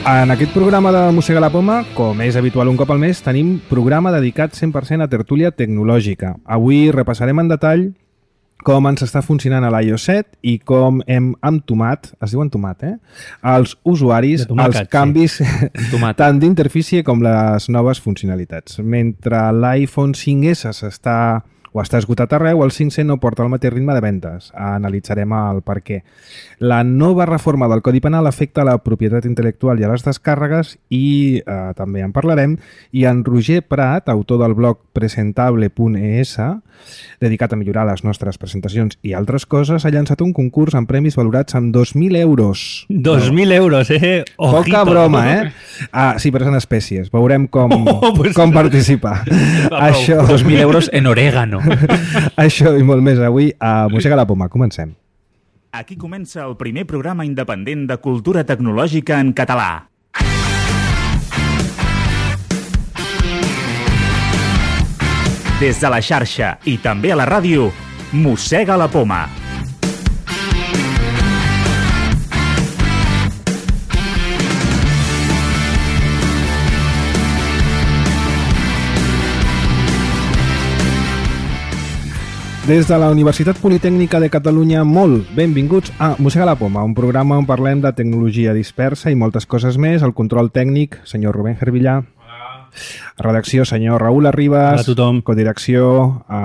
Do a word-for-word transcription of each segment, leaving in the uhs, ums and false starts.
En aquest programa de Mossega la Poma, com és habitual un cop al mes, tenim programa dedicat cent per cent a tertúlia tecnològica. Avui repassarem en detall com ens està funcionant a l'iOS set i com hem entomat, es diu entomat, eh? Els usuaris, tomàquet, els canvis sí. tant d'interfície com les noves funcionalitats. Mentre l'iPhone cinc essa s'està o està esgotat arreu, el cinc C no porta el mateix ritme de vendes. Analitzarem el per què. La nova reforma del Codi Penal afecta la propietat intel·lectual i a les descàrregues i eh, també en parlarem. I en Roger Prat, autor del blog presentable punt e essa, dedicat a millorar les nostres presentacions i altres coses, ha llançat un concurs amb premis valorats amb dos mil euros. dos mil euros, eh? Ojito. Poca broma, eh? Ah, sí, però són espècies. Veurem com, oh, pues... com participar. Això... dos mil euros en orégano. Això i molt més avui a Mossega la Poma. Comencem. Aquí comença el primer programa independent de cultura tecnològica en català. Des de la xarxa i també a la ràdio, Mossega la Poma. Des de la Universitat Politècnica de Catalunya, molt benvinguts a Mossega la Poma, un programa on parlem de tecnologia dispersa i moltes coses més. El control tècnic, senyor Rubén Gervillà. Hola. Redacció, senyor Raül Arribas. Hola a tothom. Codirecció a,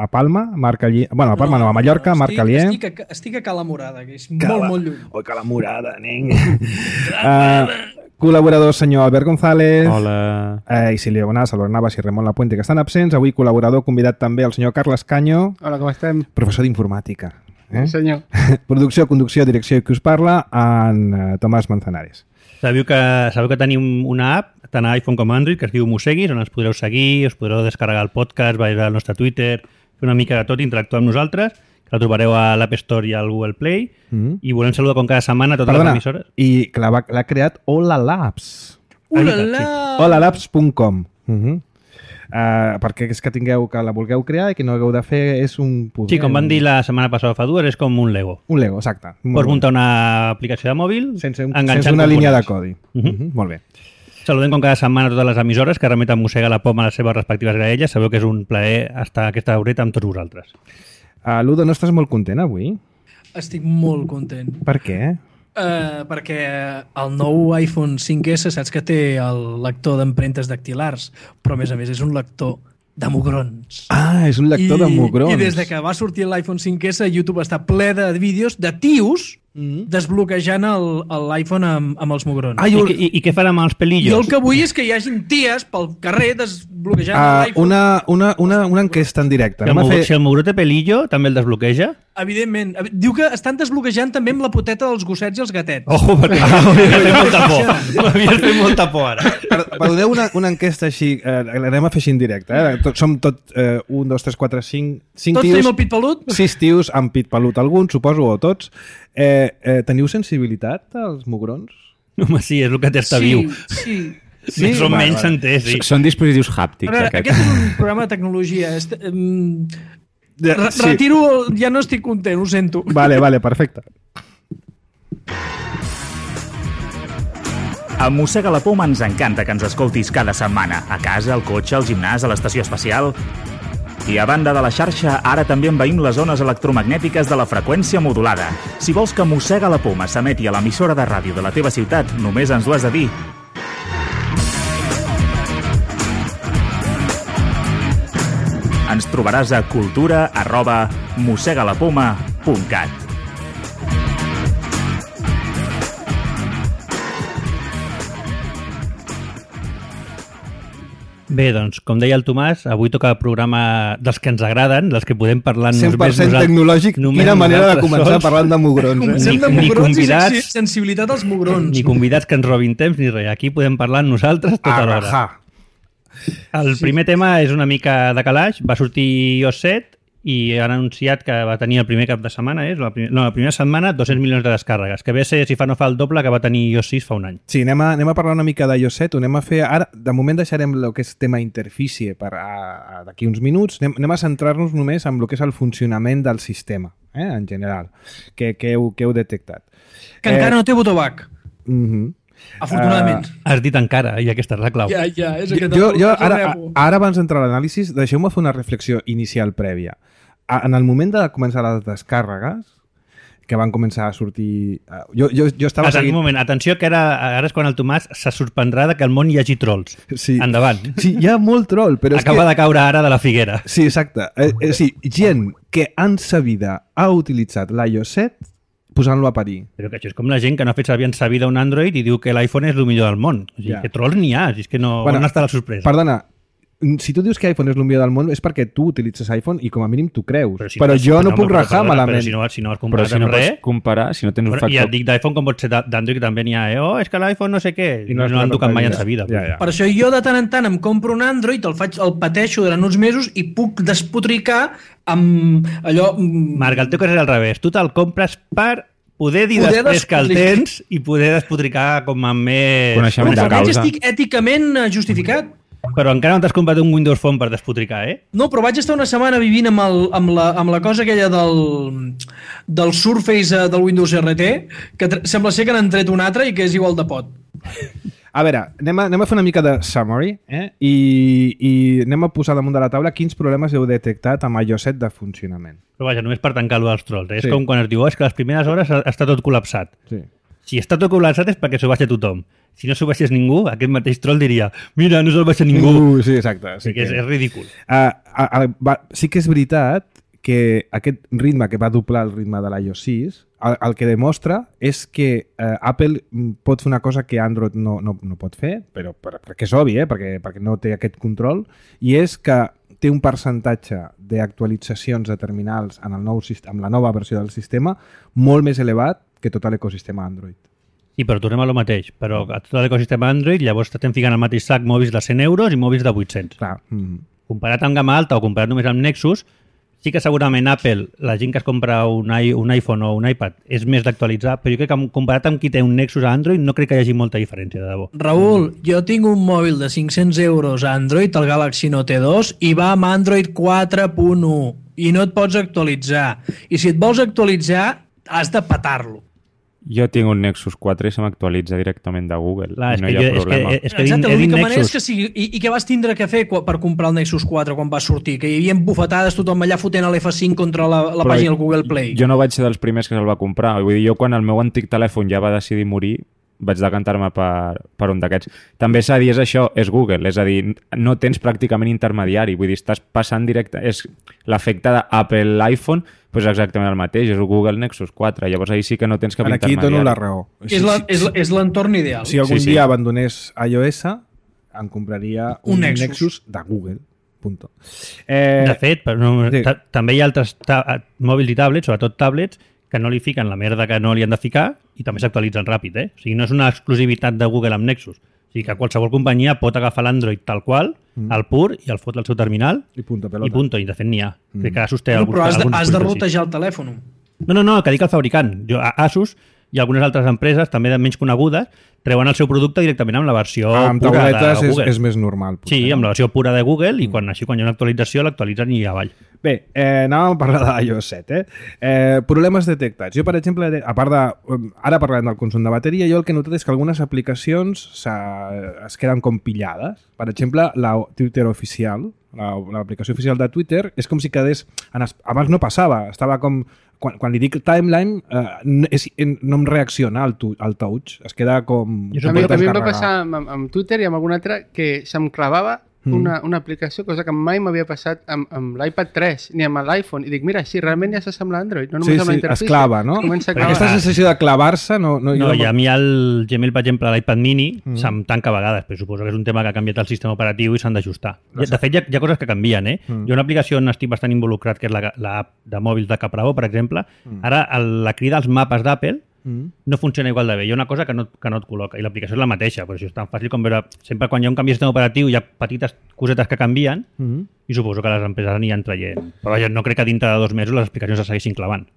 a Palma, Marc Alier. Bueno, a Palma no, no a Mallorca, no, Marc Alier. Estic, estic, estic a Cala Morada, que és Cala... molt, molt lluny. Oi, Cala Morada, nen. uh, Col·laborador, senyor Albert González. Hola. Eh, I Silvia Bonà, Salvador Navas i Ramon Lapuente, que estan absents. Avui col·laborador convidat també el senyor Carles Canyo. Hola, com estem? Professor d'informàtica. Eh? Sí, senyor. Producció, conducció, direcció i qui us parla, en uh, Tomàs Manzanares. Sabeu que, sabeu que tenim una app, tant a iPhone com a Android, que es diu Mosseguis, on ens podreu seguir, us podreu descarregar el podcast, veure al nostre Twitter, fer una mica de tot, interactuar amb nosaltres. La trobareu a l'App Store i al Google Play. Mm-hmm. I volem saludar com cada setmana a totes Perdona, les emissores. I que l'ha creat Hola Labs. Ulala! hola labs punt com. Uh-huh. uh, perquè és que tingueu que la vulgueu crear i que no hagueu de fer és un poder. Sí, com van dir la setmana passada fa dues, és com un Lego. Un Lego, exacte. Pots muntar una aplicació de mòbil sense, un, sense una línia de codi. Uh-huh. Uh-huh. Molt bé. Saludem com cada setmana a totes les emissores que remeten Mossega la Poma a les seves respectives graelles. Sabeu que és un plaer estar aquesta horeta amb tots vosaltres. Uh, Ludo, no estàs molt content avui? Estic molt content. Per què? Uh, perquè el nou iPhone cinc essa saps que té el lector d'empremtes dactilars, però a més a més és un lector de mugrons. Ah, és un lector I, de mugrons. I des de que va sortir l'iPhone cinc essa, YouTube està ple de vídeos de tios mm. desbloquejant l'iPhone amb, amb els mugrons. Ah, I, i, I què farà amb els pelillos? Jo el que vull és que hi hagin ties pel carrer desbloquejant uh, l'iPhone. Una, una, una, una enquesta en directe. Si el, fer... si el mugró té pelillo, també el desbloqueja? Evidentment. Diu que estan desbloquejant també amb la poteta dels gossets i els gatets. Ojo, perquè ah, m'havies fet molta por. M'havies fet molta por ara. Perdoneu una, una enquesta així, eh, l'anem a fer així en directe. Eh? Tot, som tot eh, un, dos, tres, quatre, cinc... cinc tots tios, tenim el pit pelut? Sis tios amb pit pelut, alguns, suposo, o tots. Eh, eh, teniu sensibilitat als mugrons? Home, sí, és el que t'està sí, viu. Sí, sí. Més o vale, menys s'entès, sí. Són dispositius hàptics. A veure, aquest. aquest és un programa de tecnologia. Este, um, Re sí. Retiro, ja no estic content, ho sento. Vale, vale, perfecte. A Mossega la Poma ens encanta que ens escoltis cada setmana, a casa, al cotxe, al gimnàs, a l'estació espacial. I a banda de la xarxa, ara també envaïm les zones electromagnètiques de la freqüència modulada. Si vols que Mossega la Poma s'emeti a l'emissora de ràdio de la teva ciutat, només ens ho has de dir. Ens trobaràs a cultura arroba mossegalapoma punt cat. Bé, doncs, com deia el Tomàs, avui toca el programa dels que ens agraden, dels que podem parlar cent per cent tecnològic, quina manera de començar sols. Parlant de mugrons. Eh? Comencem de ni, mugrons ni convidats, i sensibilitat als mugrons. Ni convidats que ens robin temps ni res. Aquí podem parlar nosaltres tota l'hora. El sí. primer tema és una mica de calaix. Va sortir iOS set i han anunciat que va tenir el primer cap de setmana, és la, prim... no, la primera setmana, dos-cents milions de descàrregues, que ve a ser, si fa no fa, el doble que va tenir iOS sis fa un any. Sí, anem a, anem a parlar una mica d'iOS set, ho anem a fer ara, de moment deixarem el que és tema interfície per d'aquí uns minuts, anem, anem a centrar-nos només en el que és el funcionament del sistema, eh, en general, que, que, heu, que heu detectat. Que eh, encara no té botó back. Uh-huh. Afortunadament. Uh, Has dit encara, i aquesta és la clau. Ja, ja, és aquest jo, jo, el ara, rebo. ara, abans d'entrar a l'anàlisi, deixeu-me fer una reflexió inicial prèvia. En el moment de començar les descàrregues, que van començar a sortir... Jo, jo, jo estava Atent, seguint... un moment, atenció, que ara, ara és quan el Tomàs se sorprendrà de que al món hi hagi trolls. Sí. Endavant. Sí, hi ha molt troll, però Acaba és que... de caure ara de la figuera. Sí, exacte. Eh, eh, sí, gent que en sa vida ha utilitzat l'iOS set posant-lo a parir. Però que això és com la gent que no ha fet servir en sa vida un Android i diu que l'iPhone és el millor del món. O sigui, Ja. que trolls n'hi ha, és que no... Bueno, on està la sorpresa? Perdona, si tu dius que iPhone és el millor del món és perquè tu utilitzes iPhone i com a mínim tu creus. Però, si però no, jo no, no puc però, rajar perdona, malament. Però si no, si no has Però comparat si no amb res... pots comparar, si no tens un Però, I factor... et dic d'iPhone com pot ser d'Android, que també n'hi ha, eh? Oh, és que l'iPhone no sé què. I I no no, has no l'han posat tocat mai la en sa vida. Ja, ja. Per això jo de tant en tant em compro un Android, el, faig, el pateixo durant uns mesos i puc despotricar amb allò... Marc, el teu cas és al revés. Tu te'l compres per poder dir Poder després que el despotricar. tens i poder despotricar com amb més... Coneixement Però de almenys causa. estic èticament eh, justificat. Però encara no t'has comprat un Windows Phone per despotricar, eh? No, però vaig estar una setmana vivint amb, el, amb, la, amb la cosa aquella del, del Surface eh, del Windows R T, que tr- sembla ser que n'han tret un altre i que és igual de pot. A veure, anem a, anem a fer una mica de summary eh? I, i anem a posar damunt de la taula quins problemes heu detectat amb iOS set de funcionament. Però vaja, només per tancar-lo dels trolls. Eh? Sí. És com quan es diu, oh, és que les primeres hores està tot col·lapsat. Sí. Si està tot col·lapsat és perquè s'ho baixa tothom. Si no s'ho baixés ningú, aquest mateix troll diria mira, no se'l baixa ningú. Uh, sí, exacte. Sí que és, és ridícul. Uh, uh, uh, va, sí que és veritat que aquest ritme que va doblar el ritme de l'iOS sis, el, el que demostra és que uh, Apple pot fer una cosa que Android no, no, no pot fer, però per, perquè és obvi, eh? perquè, perquè no té aquest control, i és que té un percentatge d'actualitzacions de terminals en el nou, amb la nova versió del sistema molt més elevat que tot l'ecosistema Android. Sí, però tornem a lo mateix. Però a tot l'ecosistema Android llavors estem ficant al mateix sac mòbils de cent euros i mòbils de vuit-cents. Clar. Mm. Comparat amb gamma alta o comparat només amb Nexus, sí que segurament Apple, la gent que es compra un, i, un iPhone o un iPad, és més d'actualitzar, però jo crec que comparat amb qui té un Nexus a Android no crec que hi hagi molta diferència, de debò. Raül, jo tinc un mòbil de cinc-cents euros a Android, el Galaxy Note dos, i va amb Android quatre punt u i no et pots actualitzar. I si et vols actualitzar, has de petar-lo. Jo tinc un Nexus quatre i se m'actualitza directament de Google. Clar, I no hi ha jo, problema. És que, és que Exacte, he dit l'única manera és Nexus. que sigui... I, I què vas tindre que fer per comprar el Nexus quatre quan va sortir? Que hi havia bufetades, tothom allà fotent l'F cinc contra la, la Però pàgina del Google Play. Jo no vaig ser dels primers que se'l va comprar. Vull dir, jo quan el meu antic telèfon ja va decidir morir, vaig decantar-me per, per un d'aquests. També s'ha de dir, és això, és Google, és a dir, no tens pràcticament intermediari, vull dir, estàs passant directe, és l'efecte d'Apple iPhone, doncs exactament el mateix, és el Google Nexus quatre, llavors ahir sí que no tens cap Aquí intermediari. dono la raó. És la- és la- és l'entorn ideal. Si algun Sí, sí. dia abandonés iOS, em compraria un, Un Nexus. Nexus. de Google. Punto. Eh, De fet, però no, sí. ta també hi ha altres ta mòbils i tablets, sobretot tablets, que no li fiquen la merda que no li han de ficar i també s'actualitzen ràpid, eh? O sigui, no és una exclusivitat de Google amb Nexus. O sigui, que qualsevol companyia pot agafar l'Android tal qual, mm. el pur, i el fot al seu terminal, I punto pelota. i punto, i de fet n'hi ha. Mm. Crec que Asus té No, alguns, però has de, alguns has de dispositius així. rotejar el telèfon. No, no, no, que dic el fabricant. Jo, a Asus i algunes altres empreses, també de menys conegudes, treuen el seu producte directament amb la versió amb pura de tauletes és, Google. és més normal. Potser, Sí, amb no? la versió pura de Google, i quan, així quan hi ha una actualització l'actualitzen i avall. Bé, eh, anàvem a parlar de iOS set. Eh? Eh, problemes detectats. Jo, per exemple, a part de... Ara parlem del consum de bateria, jo el que he notat és que algunes aplicacions es queden com pillades. Per exemple, la Twitter oficial, l'aplicació oficial de Twitter, és com si quedés... En es... Abans no passava, estava com... Quan, quan li dic timeline, eh, no, és, no em reacciona al, tu, al touch. Es queda com... Jo A mi, a mi em va descarregar. passar amb, amb Twitter i amb algun altre que se'm clavava Mm. una, una aplicació, cosa que mai m'havia passat amb, amb l'iPad tres ni amb l'iPhone. I dic, mira, sí, realment ja s'assembla a Android, no només Sí, amb la sí, interfície. es clava, no? Es comença a Però clavar. aquesta sensació de clavar-se no... No, No, jo i a mi el Gmail, per exemple, l'iPad mini Mm. se'm tanca a vegades, però suposo que és un tema que ha canviat el sistema operatiu i s'han d'ajustar. De fet, hi ha, hi ha coses que canvien, eh? Mm. Hi ha una aplicació on estic bastant involucrat, que és la- l'app de mòbils de Capravo, per exemple. Ara, el, la crida als mapes d'Apple Mm. no funciona igual de bé. Hi ha una cosa que no, que no et col·loca, i l'aplicació és la mateixa, però això és tan fàcil com veure... Sempre quan hi ha un canvi de sistema operatiu hi ha petites cosetes que canvien, Mm. i suposo que les empreses aniran traient. Però vaja, no crec que dintre de dos mesos les explicacions es segueixin clavant.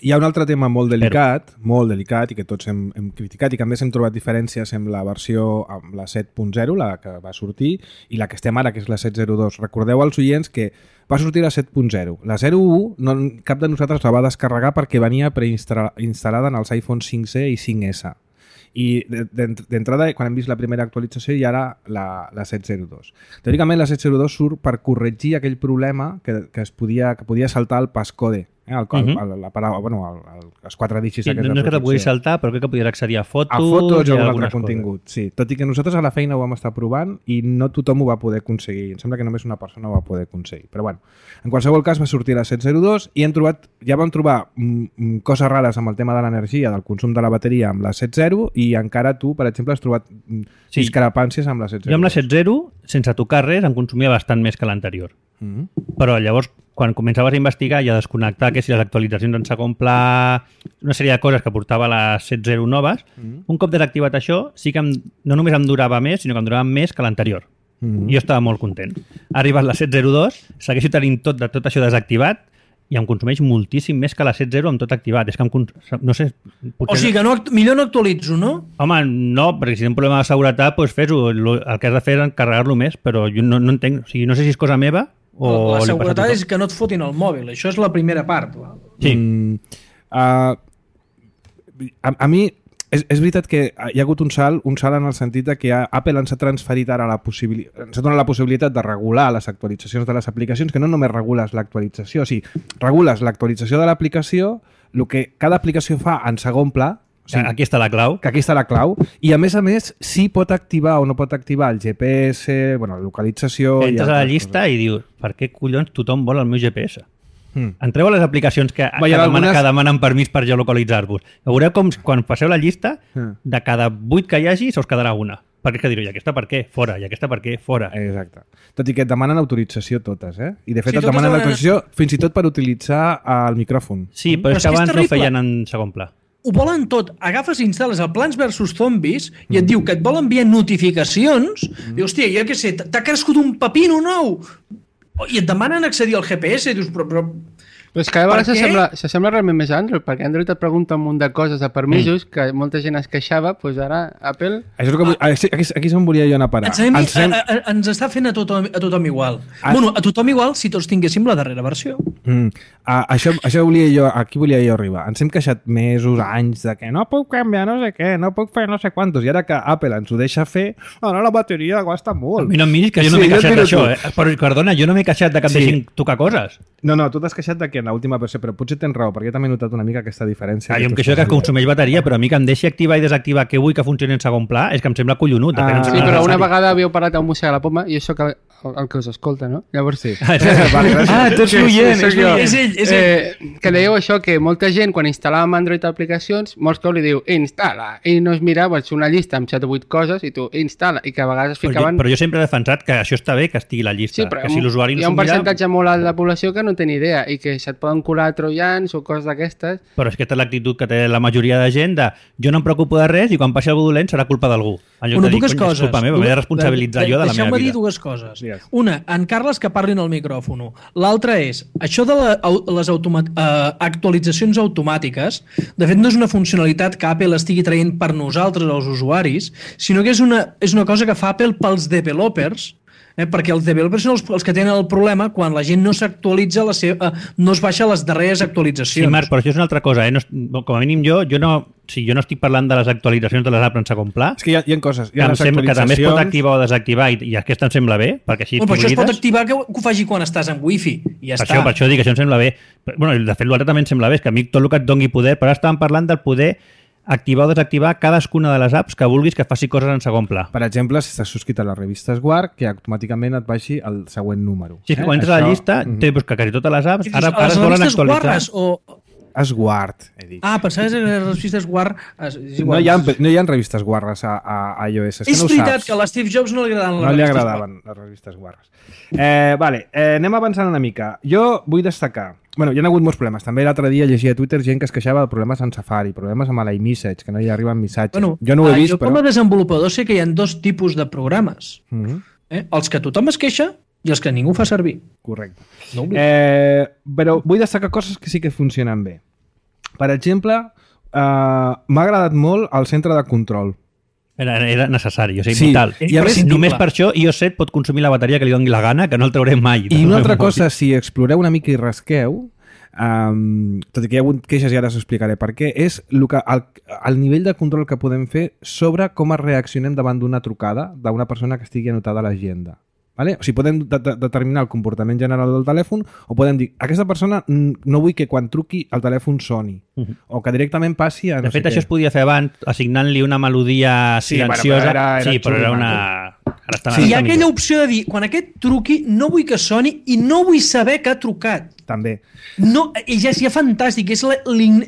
Hi ha un altre tema molt delicat, Però... molt delicat, i que tots hem, hem criticat, i que a més hem trobat diferències amb la versió, amb la set punt zero, la que va sortir, i la que estem ara, que és la set punt zero dos. Recordeu als oients que va sortir la set punt zero. La zero punt u, no, cap de nosaltres la va descarregar perquè venia preinstal·lada en els iPhone cinc C i cinc S. I d'entrada, quan hem vist la primera actualització, hi ha ara la, la set zero dos. Teòricament, la set zero dos surt per corregir aquell problema que, que, es podia, que podia saltar el passcode. Eh, el, el, el, la paraula, bueno, el, el, els quatre dígits sí, aquests no és que te puguis saltar, però crec que podries accedir a fotos, a fotos o a algun altre coses. contingut, sí. Tot i que nosaltres a la feina ho vam estar provant i no tothom ho va poder aconseguir. Em sembla que només una persona ho va poder aconseguir. Però bueno, en qualsevol cas va sortir la set zero dos i hem trobat, ja vam trobar mm, coses rares amb el tema de l'energia, del consum de la bateria amb la set zero i encara tu, per exemple, has trobat mm, sí. discrepàncies amb la set zero dos. Jo amb la set zero, sense tocar res, em consumia bastant més que l'anterior. Mm-hmm. Però llavors, quan començaves a investigar i a desconnectar que si les actualitzacions en segon pla, una sèrie de coses que portava les set zero noves, mm-hmm. un cop desactivat això, sí que em, no només em durava més, sinó que em durava més que l'anterior. Mm-hmm. I jo estava molt content. Ha arribat la set zero dos, segueixo tenint tot, de tot això desactivat i em consumeix moltíssim més que la set zero amb tot activat. És que em, no sé... O sigui que no, millor no actualitzo, no? Home, no, perquè si hi ha un problema de seguretat, doncs fes-ho. El que has de fer és encarregar-lo més, però jo no, no entenc... O sigui, no sé si és cosa meva o... La seguretat és que no et fotin el mòbil. Això és la primera part. Sí. Mm, uh, a, a mi... És, és veritat que hi ha hagut un salt, un salt en el sentit de que Apple ens ha transferit ara la possibilitat, ens ha donat la possibilitat de regular les actualitzacions de les aplicacions, que no només regules l'actualització, o sigui, regules l'actualització de l'aplicació, el que cada aplicació fa en segon pla, o sigui, aquí està la clau. Que aquí està la clau, i a més a més sí pot activar o no pot activar el G P S, bueno, la localització... Entres a la llista coses. I dius, per què collons tothom vol el meu G P S? Mm. Entreu a les aplicacions que, que, demana, algunes... que demanen permís per geolocalitzar-vos. Veureu com quan passeu la llista, mm. de cada vuit que hi hagi, se us quedarà una. Perquè és que direu, i aquesta per què? Fora. I aquesta per què? Fora. Exacte. Tot i que et demanen autorització totes, eh? I de fet sí, et demanen demanen... autorització fins i tot per utilitzar el micròfon. Sí, però, però és que abans no ho feien en segon pla. Ho volen tot. Agafes i instal·les el Plants versus Zombies i et mm. diu que et vol enviar notificacions mm. i, hòstia, jo què sé, t'ha crescut un pepino nou i et demanen accedir al G P S i dius, però... però... Però és que a vegades s'assembla realment més a Android, perquè Android et pregunta un munt de coses de permisos, mm. que molta gent es queixava, doncs ara Apple... Això és que vull... aquí, aquí és on volia jo anar a parar. Ens, ens, hem... a, a, ens està fent a tothom, a tothom igual. A... Bueno, a tothom igual si tots tinguéssim la darrera versió. Mm. A, això, això volia jo, aquí volia jo arribar. Ens hem queixat mesos, anys, de que no puc canviar no sé què, no puc fer no sé quantos, i ara que Apple ens ho deixa fer, ara la bateria gasta molt. A mi no em miris que jo no sí, m'he queixat d'això, eh? Però, perdona, jo no m'he queixat de que em sí. deixin tocar coses. No, no, tu t'has queixat de que en l'última versió, però potser tens raó, perquè jo també he notat una mica aquesta diferència. Ah, jo em queixo que consumeix bateria, però a mi que em deixi activar i desactivar que vull que funcioni en segon pla és que em sembla collonut. Ah, em sembla sí, però una vegada havíeu parlat amb música a la poma i això que el, el que us escolta, no? Llavors sí. Ah, vale, ah tu ets l'oient, és, és ell, és ell. Eh, que dèieu això, que molta gent, quan instal·làvem Android aplicacions, molts cops li diu, instal·la, i no es mirava una llista amb set o vuit coses, i tu, instal·la, i que a vegades es ficaven... Però jo, però jo sempre he defensat que això està bé que estigui la llista, sí, però que si l'usuari no hi ha un percentatge mira... molt alt de la població que no té ni idea, i que se't poden colar troians o coses d'aquestes. Però és que aquesta és l'actitud que té la majoria de gent de jo no em preocupo de res i quan passi algú dolent serà culpa d'algú. En lloc bueno, de dir, dues cony, coses. És culpa meva, m'he de responsabilitzar jo de la meva vida. Deixeu-me dir dues coses. Yes. Una, en Carles que parlin al micròfon. L'altra és, això de la, les automa uh, actualitzacions automàtiques, de fet no és una funcionalitat que Apple estigui traient per nosaltres, els usuaris, sinó que és una, és una cosa que fa Apple pels developers, eh, perquè els developers són els, els que tenen el problema quan la gent no s'actualitza, la seva, uh, no es baixa les darreres actualitzacions. Sí, Marc, però això és una altra cosa. Eh? No, com a mínim jo, jo no... Sí, jo no estic parlant de les actualitzacions de les apps en segon pla. És que hi ha, hi ha coses. Hi ha que, sembla, que també es pot activar o desactivar i, i aquesta em sembla bé, perquè així bueno, però això es pot activar que, que ho faci quan estàs en wifi i ja per està. Això, per això dic que això em sembla bé. Bueno, de fet, l'altre també em sembla bé, és que a mi tot el que et doni poder, però ara estàvem parlant del poder activar o desactivar cadascuna de les apps que vulguis que faci coses en segon pla. Per exemple, si estàs subscrit a la revista Esguard, que automàticament et baixi el següent número. Sí, és que quan entres a la llista, mm -hmm. té que quasi totes les apps ara, ara es volen actualitzar. O... Esguard, he dit. Ah, pensaves que les revistes Guard... No hi ha, no hi ha revistes guarres a, a, a iOS. És, és no veritat que a l'Steve Jobs no li agradaven les no revistes li agradaven les revistes guarres. Eh, vale, eh, anem avançant una mica. Jo vull destacar... Bueno, hi ha hagut molts problemes. També l'altre dia llegia a Twitter gent que es queixava de problemes en Safari, problemes amb l'iMessage, que no hi arriben missatges. Bueno, jo no ho he vist, jo però... com a desenvolupador sé que hi ha dos tipus de programes. Mm -hmm. eh? Els que tothom es queixa i els que ningú fa servir. Correcte. No eh, però vull destacar coses que sí que funcionen bé. Per exemple, eh, m'ha agradat molt el centre de control. Era, era necessari, o sigui, sí. vital. I a més, només per això iOS set pot consumir la bateria que li doni la gana, que no el traurem mai. I una altra cosa, si exploreu una mica i rasqueu, um, tot i que hi ha hagut queixes i ara s'explicaré per què, és el, que, el, el nivell de control que podem fer sobre com es reaccionem davant d'una trucada d'una persona que estigui anotada a l'agenda. Vale? O sigui, podem de de determinar el comportament general del telèfon o podem dir, aquesta persona no vull que quan truqui el telèfon soni uh -huh. o que directament passi a no de fet, sé això què. es podia fer abans assignant-li una melodia silenciosa. Sí, bueno, però era, era sí, però era una... Ara està Sí, hi ha aquella opció de dir, quan aquest truqui, no vull que soni i no vull saber que ha trucat. També. No, i ja és ja fantàstic, és, la,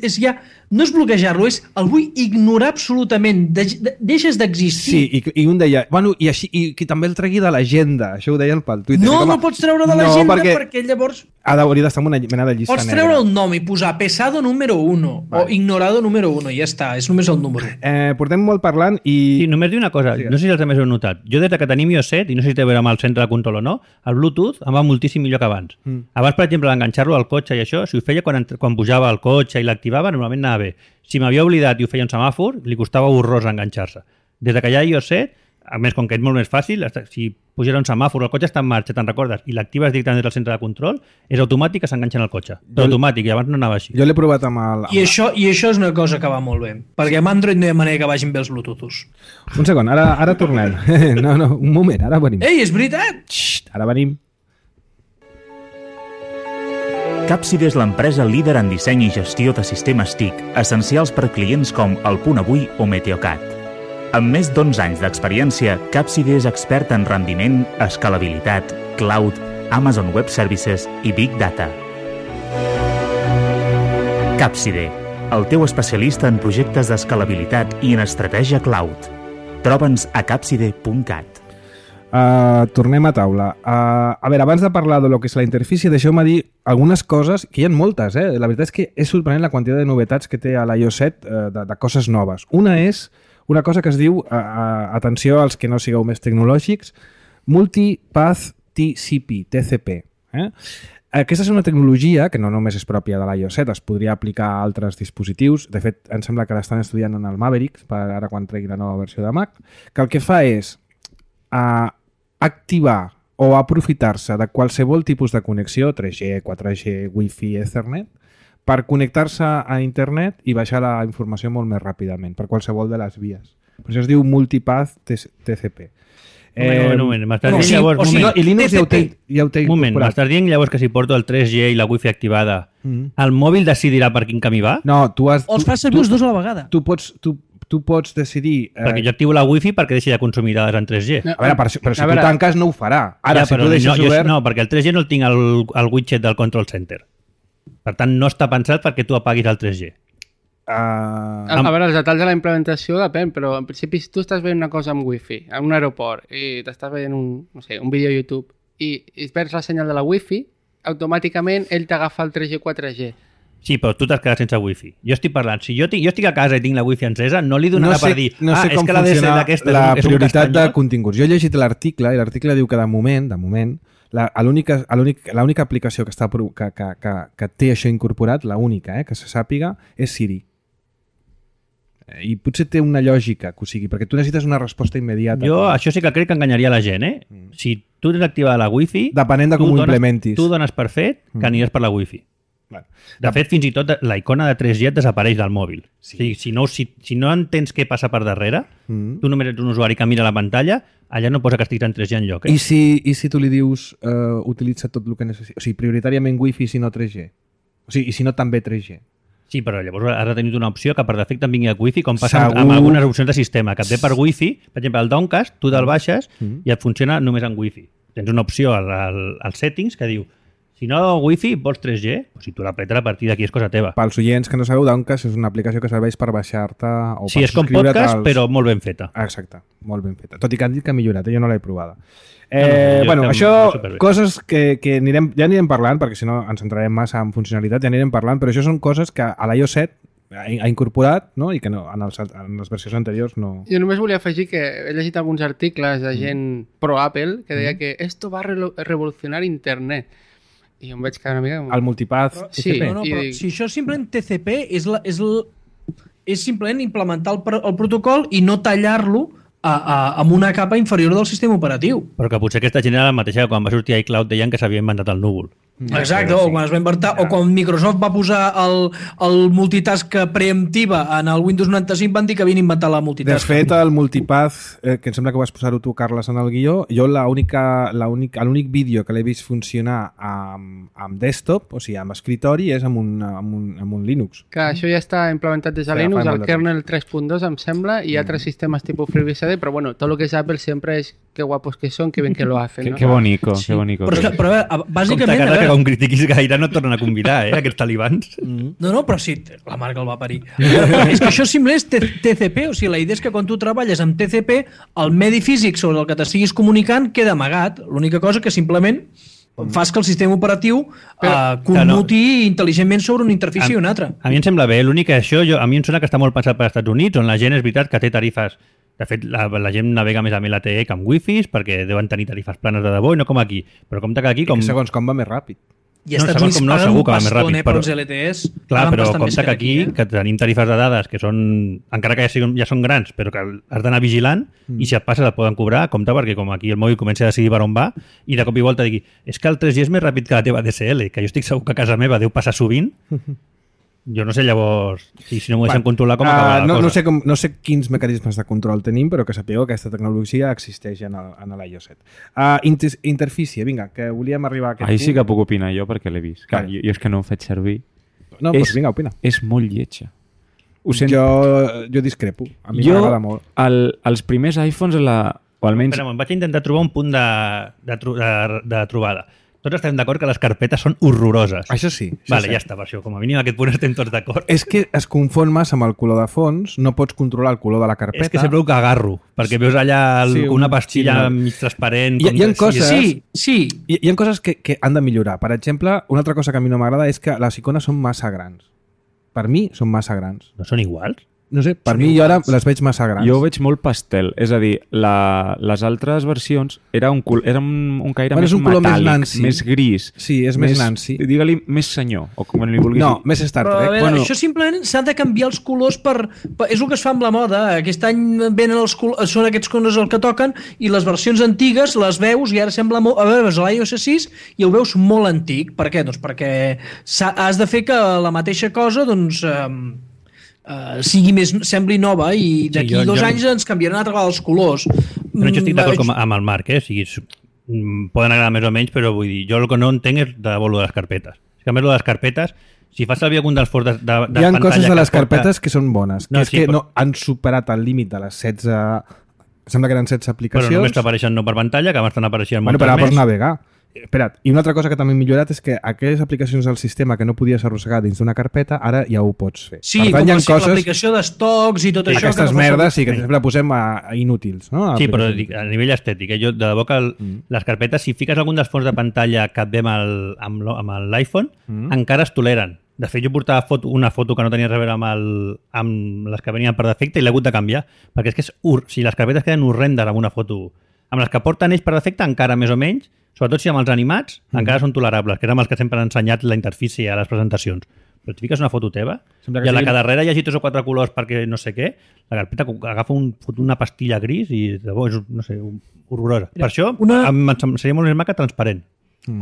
és ja, no és bloquejar-lo, és el vull ignorar absolutament, de, de, deixes d'existir. Sí, i, i un deia, bueno, i així, i que també el tregui de l'agenda, això ho deien pel Twitter. No, com a... no pots treure de l'agenda no, perquè... perquè llavors... Ha d'hauria d'estar en una mena de llista pots negra. treure el nom i posar pesado número uno vale. O ignorado número uno, i ja està, és només el número. Eh, portem molt parlant i... Sí, només dir una cosa, no sé si els altres heu notat. Jo des que tenim iOS set, i no sé si té a veure amb el centre de control o no, el Bluetooth em va moltíssim millor que abans. Mm. Abans, per exemple, enganxar-lo al cotxe i això, si ho feia quan, quan pujava al cotxe i l'activava, normalment anava bé. Si m'havia oblidat i ho feia un semàfor, li costava horrors enganxar-se. Des que hi ha iOS set, a més, com que és molt més fàcil, si pujera un semàfor, el cotxe està en marxa, te'n recordes, i l'actives directament des del centre de control, és automàtic que s'enganxa en el cotxe. Jo, automàtic, i abans no anava així. Jo l'he provat amb el... Amb I, això, I això és una cosa que va molt bé, perquè amb Android no hi ha manera que vagin bé els Bluetooths. Un segon, ara, ara tornem. No, no, un moment, ara venim. Ei, és veritat! Xxt, ara venim. Capside és l'empresa líder en disseny i gestió de sistemes T I C, essencials per clients com El Punt Avui o Meteocat. Amb més d'onze anys d'experiència, Capside és expert en rendiment, escalabilitat, cloud, Amazon Web Services i Big Data. Capside, el teu especialista en projectes d'escalabilitat i en estratègia cloud. Troba'ns a capside punt cat. Uh, tornem a taula. Uh, a veure, abans de parlar de lo que és la interfície, deixeu-me dir algunes coses, que hi ha moltes, eh? La veritat és que és sorprenent la quantitat de novetats que té a l'iOS set, uh, de, de coses noves. Una és una cosa que es diu, uh, uh, atenció als que no sigueu més tecnològics, Multipath T C P, T C P. Eh? Aquesta és una tecnologia que no només és pròpia de l'iOS set, es podria aplicar a altres dispositius. De fet, em sembla que l'estan estudiant en el Maverick, per ara quan tregui la nova versió de Mac, que el que fa és uh, activar o aprofitar-se de qualsevol tipus de connexió, tres G, quatre G, Wi-Fi, Ethernet, per connectar-se a internet i baixar la informació molt més ràpidament, per qualsevol de les vies. Per això es diu Multipath T C P. Eh, un moment, m'estàs dient sí, llavors... o sigui, moment, I Linux ja ho té, ja ho té un moment, m'estàs dient llavors que si porto el tres G i la Wi-Fi activada, mm. el mòbil decidirà per quin camí va? No, tu has... O els fas servir els dos a la vegada. Tu pots... Tu, tu pots decidir... Eh... Perquè jo activo la Wi-Fi perquè deixi de consumir dades en tres G. A veure, però, però si tu tanques no ho farà. Ara, ja, si però tu deixes no, obert... Jo, no, perquè el tres G no el tinc al, al widget del control center. Per tant, no està pensat perquè tu apaguis el tres G. Uh... A, a veure, els detalls de la implementació depèn, però en principi si tu estàs veient una cosa amb Wi-Fi en un aeroport i t'estàs veient un, no sé, un vídeo a YouTube i, i perds la senyal de la Wi-Fi, automàticament ell t'agafa el tres G, quatre G. Sí, però tu t'has quedat sense Wi-Fi. Jo estic parlant, si jo, tinc, jo estic a casa i tinc la Wi-Fi encesa, no li donarà no sé, per dir no sé ah, com és que la D S L funciona aquesta la és un, és prioritat un de continguts. Jo he llegit l'article i l'article diu que de moment, de moment, l'única aplicació que, està, que, que, que, que té això incorporat, l'única eh, que se sàpiga, és Siri. I potser té una lògica, que o sigui, perquè tu necessites una resposta immediata. Jo això sí que crec que enganyaria la gent, eh? Mm. Si tu tens activada la Wi-Fi... Depenent de com ho implementis. Tu dones per fet que aniràs per la Wi-Fi. Bueno. De fet, fins i tot la icona de tres G et desapareix del mòbil. Sí. O sigui, si, no, si, si no entens què passa per darrere, mm. tu només ets un usuari que mira la pantalla, allà no posa que estiguis en tres G enlloc. Eh? I, si, I si tu li dius uh, utilitza tot el que necessita? O sigui, prioritàriament Wi-Fi si no tres G? O sigui, i si no també tres G? Sí, però llavors has de tenir una opció que per defecte em vingui a Wi-Fi, com passa Segur. amb algunes opcions de sistema, que et ve per Wi-Fi, per exemple, el Downcast, tu te'l baixes mm. i et funciona només en Wi-Fi. Tens una opció al, al, als settings que diu si no Wi-Fi vols tres G, pues si tu l'apretes a partir d'aquí és cosa teva. Pels oients que no sabeu, Downcast és una aplicació que serveix per baixar-te o sí, per és com podcast, als... però molt ben feta. Exacte, molt ben feta. Tot i que han dit que ha millorat, eh? Jo no l'he provada. Eh, no, no, bueno, això, coses que, que anirem, ja anirem parlant, perquè si no ens centrarem massa en funcionalitat, ja anirem parlant, però això són coses que a l'iOS set ha incorporat, no? I que no, en, els, en les versions anteriors no... Jo només volia afegir que he llegit alguns articles de gent mm. pro-Apple que deia mm. que esto va a re revolucionar internet. I jo em vaig quedar una mica... El multipath però, sí, T C P. No, no, però dic... si això simplement T C P és, la, és, la, és simplement implementar el, el protocol i no tallar-lo a, a, amb una capa inferior del sistema operatiu. Però que potser aquesta gent era la mateixa que quan va sortir iCloud deien que s'havia inventat el núvol. Exacte, o quan es va inventar, o quan Microsoft va posar el, el multitask preemptiva en el Windows noranta-cinc, van dir que havien inventat la multitask. De fet, el multipath, eh, que em sembla que vas posar-ho tu, Carles, en el guió, jo l'únic vídeo que l'he vist funcionar amb, amb desktop, o sigui, amb escritori, és amb un, amb un, amb un Linux. Que això ja està implementat des de Sí, Linux, fa el molt de kernel tres punt dos, em sembla, i Mm. altres sistemes tipus FreeBSD, però bueno, todo lo que es Apple siempre es qué guapos que son, qué bien que lo hacen, Qué, ¿no? qué bonito, Sí. qué bonito. Però, és que, però a veure, Compte, bàsicament... Carles, a que veure, com critiquis gaire no et tornen a convidar, eh, aquests talibans. no, no, però sí, la marca el va parir. Però és que això simplement és T C P, o sigui, la idea és que quan tu treballes amb T C P, el medi físic sobre el que t'estiguis comunicant queda amagat. L'única cosa que simplement fas que el sistema operatiu Però- eh, commuti intel·ligentment sobre una interfície i una altra. A mi em sembla bé, l'únic que això, jo, a mi em sembla que està molt pensat per als Estats Units, on la gent és veritat que té tarifes. De fet, la, la gent navega més amb L T E que amb wifis, perquè deuen tenir tarifes planes de debò i no com aquí. Però compte que aquí... Com... Com... Segons com va més ràpid. I No, als Estats segons Units com no, paguen segur un que va més pastón, ràpid, eh, per però- als L T Es. Clar, Paguen però bastant més compte que aquí, eh? que tenim tarifes de dades que són, encara que ja, siguin, ja són grans, però que has d'anar vigilant mm. i si et passes et poden cobrar, compte perquè com aquí el mòbil comença a decidir per on va i de cop i volta digui, és que el tres G és més ràpid que la teva D S L, que jo estic segur que a casa meva deu passar sovint. Jo no sé llavors si, si no m'ho deixen controlar com acaba uh, la no, cosa. no, sé com, no sé quins mecanismes de control tenim, però que sapigueu que aquesta tecnologia existeix en l'iOS set. Uh, inter interfície, vinga, que volíem arribar a aquest Ahí punt. sí que puc opinar jo perquè l'he vist. Clar, Vale. jo, jo és que no ho faig servir. No, és, doncs vinga, opina. És molt lletja. Ho sent... Jo, jo discrepo. A mi jo, m'agrada molt. el, els primers iPhones, la, o almenys... Espera, vaig intentar trobar un punt de, de, tro- de, de trobada. Tots estem d'acord que les carpetes són horroroses. Això sí. Això Vale, sí. ja està, per això. Com a mínim aquest punt estem tots d'acord. És que es confon massa amb el color de fons, no pots controlar el color de la carpeta. És que sempre ho que agarro, perquè veus allà el, Sí, un- una pastilla sí, no. mig transparent. Hi ha- com hi ha que- coses- Sí, sí. Hi, hi ha coses que, que han de millorar. Per exemple, una altra cosa que a mi no m'agrada és que les icones són massa grans. Per mi són massa grans. No són iguals? No sé, per Són mi jo ara iguals. les veig massa grans. Jo ho veig molt pastel, és a dir, la, les altres versions era un, col, era un, un caire Bueno, més és un color més metàl·lic, Nancy. més gris. Sí, és més Nancy. Digue-li més senyor, o com li vulguis No, dir. més Star Però a Trek. veure, Bueno, això simplement s'ha de canviar els colors per, per... És el que es fa amb la moda. Aquest any venen els colors, són aquests colors el que toquen i les versions antigues les veus i ara sembla molt... A veure, veus l'iOS sis i el veus molt antic. Per què? Doncs perquè has de fer que la mateixa cosa doncs, eh, eh, sigui més, sembli nova i d'aquí jo- dos jo- anys ens canviaran altra vegada els colors. No, jo estic d'acord Mm, com amb el Marc, eh? O sigui, s- mm, poden agradar més o menys, però vull dir, jo el que no entenc és de debò lo de les carpetes. És que a més lo de les carpetes, si fas servir algun dels forts de, de, de hi ha pantalla coses de que les porta- carpetes que són bones. Que No, és sí, que però- no han superat el límit de les setze... Sembla que eren setze Però aplicacions. només t'apareixen no per pantalla, que abans te n'apareixien Bueno, moltes però ara més. pots navegar. Espera't, i una altra cosa que també hem millorat és que aquelles aplicacions del sistema que no podies arrossegar dins d'una carpeta, ara ja ho pots fer. Sí, per tant, com hi ha la- coses, l'aplicació d'estocs i tot això. que aquestes no fa merdes, sí, servir. que sempre posem a, a inútils. No? A Sí, però aplicacions. dic, a nivell estètic, eh? jo de debò que el, Mm. les carpetes, si fiques algun dels fons de pantalla que et ve amb el- amb lo- amb l'iPhone, Mm. encara es toleren. De fet, jo portava foto, una foto que no tenia res a veure amb, el, amb les que venien per defecte i l'he hagut de canviar, perquè és que és ur, si les carpetes queden horrendes amb una foto. Amb les que porten ells per defecte, encara més o menys, sobretot si amb els animats, mm. encara són tolerables, que eren els que sempre han ensenyat la interfície a les presentacions. Però et fiques una foto teva Sembla que i a la sigui- que darrere hi hagi tres o quatre colors perquè no sé què, la carpeta agafa un, fot una pastilla gris i de bo, és, no sé, horrorosa. Per això una- una... em, seria molt més maca transparent.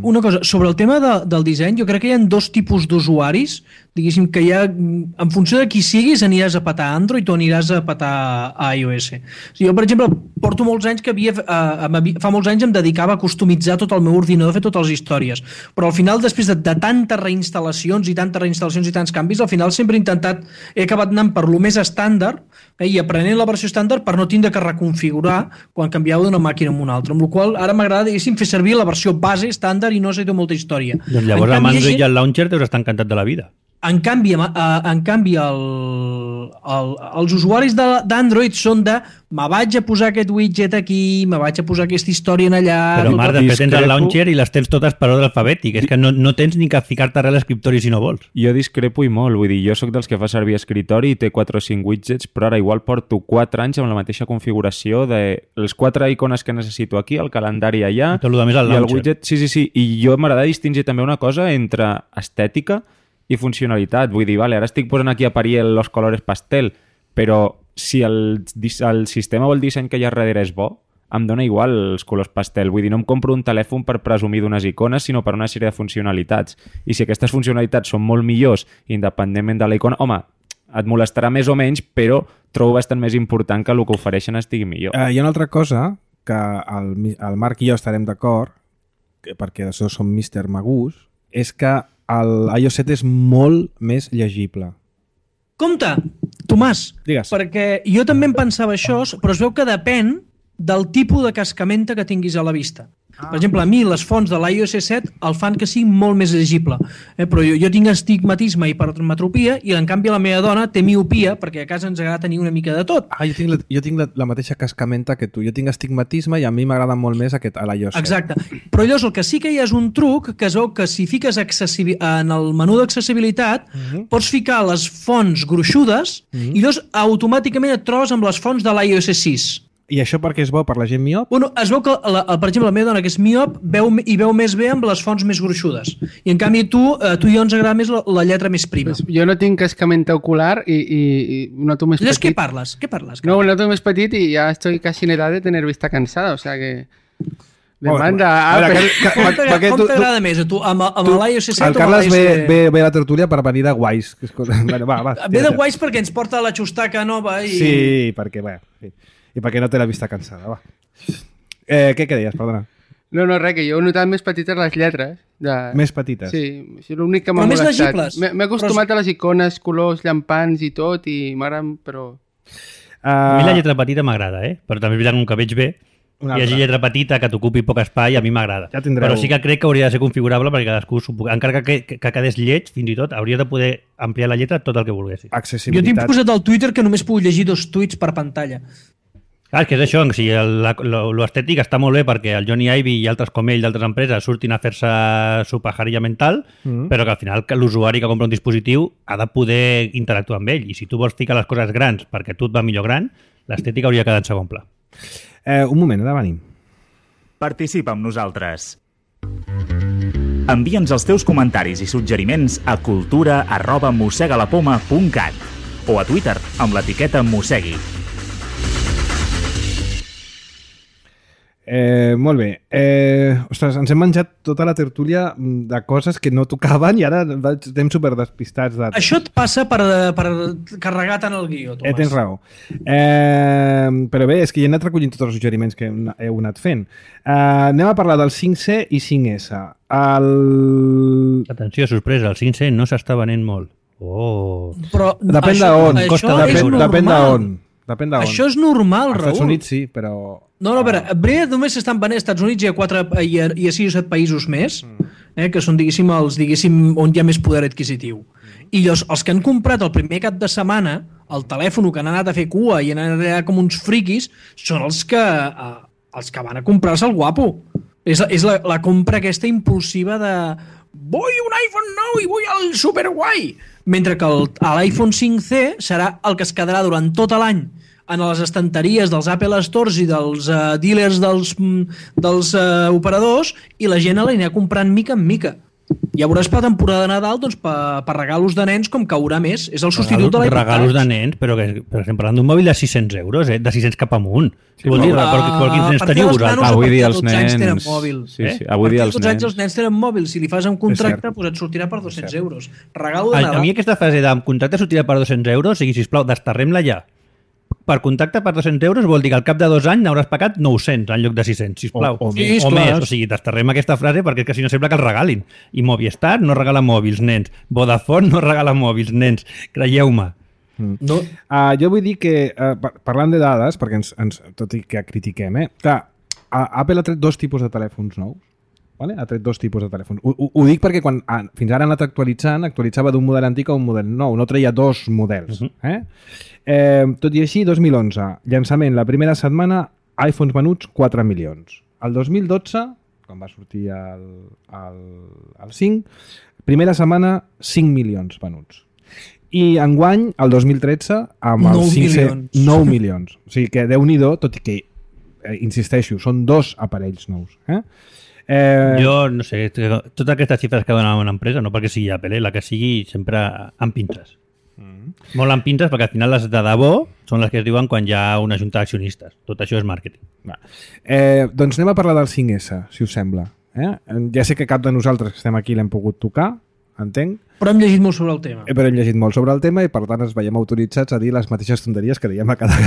Una cosa, sobre el tema de, del disseny, jo crec que hi ha dos tipus d'usuaris, diguéssim que hi ha, en funció de qui siguis, aniràs a petar Android o aniràs a petar a iOS. O sigui, jo, per exemple, porto molts anys que havia, eh, m'havia- fa molts anys em dedicava a customitzar tot el meu ordinador, a fer totes les històries, però al final, després de, de tantes reinstal·lacions i tantes reinstal·lacions i tants canvis, al final sempre he intentat, he acabat anant per lo més estàndard eh, i aprenent la versió estàndard per no tindre que reconfigurar quan canviava d'una màquina a una altra, amb la qual ara m'agrada, diguéssim, fer servir la versió base estàndard i no necessito molta història. Doncs llavors En amb canvi, Android hi i ha el launcher deus estar encantat de la vida. En canvi, eh, en canvi el, el, els usuaris de- d'Android són de me vaig a posar aquest widget aquí, me vaig a posar aquesta història en allà... Però, Marc, després tens el discrepo. launcher i les tens totes per ordre alfabètic. És que no, no tens ni que ficar-te res a l'escriptori si no vols. Jo discrepo i molt, vull dir, jo sóc dels que fa servir escritori i té quatre o cinc widgets, però ara igual porto quatre anys amb la mateixa configuració de les quatre icones que necessito aquí, el calendari allà, I tot lo de més al i el launcher. widget... Sí, sí, sí, i jo m'agrada distingir també una cosa entre estètica i funcionalitat. Vull dir, vale, ara estic posant aquí a parir els colors pastel, però si el, dis- el sistema o el disseny que hi ha darrere és bo, em dona igual els colors pastel. Vull dir, no em compro un telèfon per presumir d'unes icones, sinó per una sèrie de funcionalitats. I si aquestes funcionalitats són molt millors, independentment de la icona, home, et molestarà més o menys, però trobo bastant més important que el que ofereixen estigui millor. Uh, hi ha una altra cosa que el, el Marc i jo estarem d'acord, perquè d'això som míster Magús, és que l'iOS set és molt més llegible. Compte, Tomàs, Digues. perquè jo també em pensava això, però es veu que depèn del tipus de cascamenta que tinguis a la vista. Per exemple, a mi les fonts de l'iOS set el fan que sigui molt més llegible, eh? Però jo, jo tinc astigmatisme i hipermetropia i en canvi la meva dona té miopia perquè a casa ens agrada tenir una mica de tot. Ah, jo tinc, la, jo tinc la, la mateixa cascamenta que tu. Jo tinc astigmatisme i a mi m'agrada molt més aquest a l'iOS set. Exacte. Però llavors el que sí que hi ha és un truc que es veu que si fiques accessibi- en el menú d'accessibilitat uh-huh. pots ficar les fonts gruixudes uh-huh. i llavors automàticament et trobes amb les fonts de l'iOS sis. I això perquè és bo per la gent miop? Bueno, es veu que, la, per exemple, la meva dona, que és miop, veu, i veu més bé amb les fonts més gruixudes. I en canvi tu, eh, tu i jo ens agrada més la, la lletra més prima. Pues jo no tinc cascamenta ocular i, i, i noto més Llavors, petit. què parles? Què parles? No, noto més petit i ja estoy casi en edad de tener vista cansada, o sea que... Demanda a veure, que, que, Com t'agrada perquè tu- tu- t'agrada més, a tu? Amb, amb tu- l'iOS set El o amb Carles ve, l'iOS... ve, ve a la tertúlia per venir de guais. Que és cosa... Bueno, va, va, Ve de tira, guais perquè ens porta la xustaca nova i... Sí, perquè, bé, sí. I perquè no té la vista cansada, va. Eh, què, què deies, perdona? No, no, res, que jo he notat més petites les lletres. De... Més petites? Sí, és l'únic que m'ha Però més molestat. legibles. M'he m'he acostumat a les icones, colors, llampants i tot, i m'agraden, però... A mi la Uh, lletra petita m'agrada, eh? Però també és veritat que com que veig bé, Una hi hagi altra. lletra petita que t'ocupi poc espai, a mi m'agrada. Ja tindreu- Però sí que crec que hauria de ser configurable perquè cadascú, s'ho pu- encara que, que, que quedés lleig, fins i tot, hauria de poder ampliar la lletra tot el que volguessis. Jo accessibilitat. tinc posat al Twitter que només puc llegir dos tuits per pantalla. Clar, és que és això, o sigui, el- la- lo, lo estètic està molt bé perquè el Johnny Ive i altres com ell d'altres empreses surtin a fer-se su pajarilla mental, Mm. però que al final que l'usuari que compra un dispositiu ha de poder interactuar amb ell. I si tu vols ficar les coses grans perquè tu et va millor gran, l'estètica hauria de quedar en segon pla. Eh, un moment, ara venim. Participa amb nosaltres. Envia'ns els teus comentaris i suggeriments a cultura arroba mossegalapoma punt cat o a Twitter amb l'etiqueta mossegui. Eh, molt bé. Eh, ostres, ens hem menjat tota la tertúlia de coses que no tocaven i ara estem super despistats. De... Això et passa per, per carregar tant el guió, Tomàs. Eh, tens raó. Eh, però bé, és que ja he anat recollint tots els suggeriments que heu heu anat fent. Eh, anem a parlar del cinc C i cinc S. El... Atenció, sorpresa, el cinc C no s'està venent molt. Oh! Però Depèn això, d'on. Això Costa és Depèn, normal. depèn d'on. Depèn d'on. Això és normal, Als Raül. Estats Units sí, però... No, no, a veure, a veure, només s'estan venent als Estats Units i a, quatre, i a, i a sis o set països més, eh, que són, diguéssim, els, diguéssim, on hi ha més poder adquisitiu. I llavors, els que han comprat el primer cap de setmana el telèfon, que han anat a fer cua i han anat allà com uns friquis, són els que, eh, els que van a comprar-se el guapo. És, és la, la compra aquesta impulsiva de vull un iPhone nou i vull el superguai. Mentre que el- l'iPhone cinc C serà el que es quedarà durant tot l'any en les estanteries dels Apple Stores i dels uh, dealers dels, mm, dels uh, operadors i la gent l'anirà comprant mica en mica. Ja veuràs per la temporada de Nadal doncs, per, per regalos de nens com caurà més. És el substitut de l'iPod Regalos de Touch. nens, però, que, però estem parlant d'un mòbil de sis-cents euros, eh? De sis-cents cap amunt. Sí, vol dir, Ah, però, però quins a nens partir teniu dels vosaltres? nanos, a Avui partir dia de els dotze anys tenen nens... mòbil. Sí, Eh? sí. A Avui partir dia de els dotze anys nens... els nens tenen mòbil. Si li fas un contracte, cert. pues et sortirà per dos-cents És cert. euros. Regalo de A, a Nadal. mi aquesta frase de contracte sortirà per dos-cents euros, o sigui, sisplau, desterrem-la ja. Per contracte per dos-cents euros vol dir que al cap de dos anys n'hauràs pagat nou-cents en lloc de sis-cents, sisplau. O- o més. Sí, o esclar. més. O sigui, desterrem aquesta frase perquè és que si no sembla que els regalin. I Movistar no regala mòbils, nens. Vodafone no regala mòbils, nens. Creieu-me. No, Uh, jo vull dir que, uh, par- parlant de dades, perquè ens, ens, tot i que critiquem, eh? Clar, uh, Apple ha tret dos tipus de telèfons nous. Vale? Ha tret dos tipus de telèfons. Ho, ho, ho dic perquè quan ah, fins ara ha anat actualitzant, actualitzava d'un model antic a un model nou, no treia dos models. Uh -huh. eh? Eh, tot i així, dos mil onze, llançament, la primera setmana, iPhones venuts quatre milions. El dos mil dotze, quan va sortir el, el, el cinc, primera setmana, cinc milions venuts. I enguany, el dos mil tretze, amb el nou cinc C, milions. nou milions. O sigui que Déu-n'hi-do, tot i que, eh, insisteixo, són dos aparells nous. Eh? Eh, Jo, no sé, totes aquestes xifres que donen una empresa, no perquè sigui Apple, eh? La que sigui sempre amb pinces. Mm. Molt amb pinces perquè al final les de debò són les que es diuen quan hi ha una junta d'accionistes. Tot això és màrqueting. Va. Eh, doncs anem a parlar del cinc essa, si us sembla. Eh? Ja sé que cap de nosaltres que estem aquí l'hem pogut tocar, entenc. Però hem llegit molt sobre el tema. Eh, però hem llegit molt sobre el tema i per tant ens veiem autoritzats a dir les mateixes tonteries que dèiem a cada...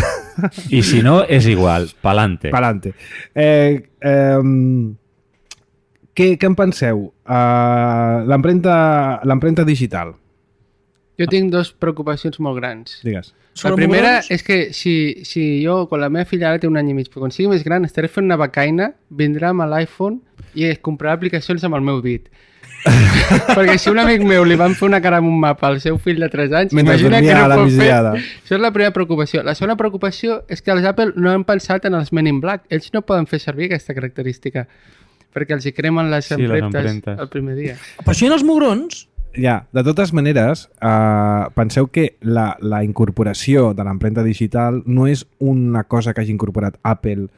I si no, és igual. Palante. Palante. Eh, eh, què, què en penseu? Uh, L'empremta digital. Jo tinc dos preocupacions molt grans. Digues. La primera és que si, si jo, quan la meva filla ara té un any i mig, però quan sigui més gran estaré fent una becaina, vindrà amb l'iPhone i es comprarà aplicacions amb el meu dit. Perquè si un amic meu li van fer una cara amb un mapa al seu fill de tres anys, mentre imagina que no pot fer. misiada. Això és la primera preocupació. La segona preocupació és que els Apple no han pensat en els Men in Black. Ells no poden fer servir aquesta característica perquè els hi cremen les Sí, les empremtes empremtes. el primer dia. Però això en els mugrons... Ja, de totes maneres, eh, penseu que la, la incorporació de l'empremta digital no és una cosa que hagi incorporat Apple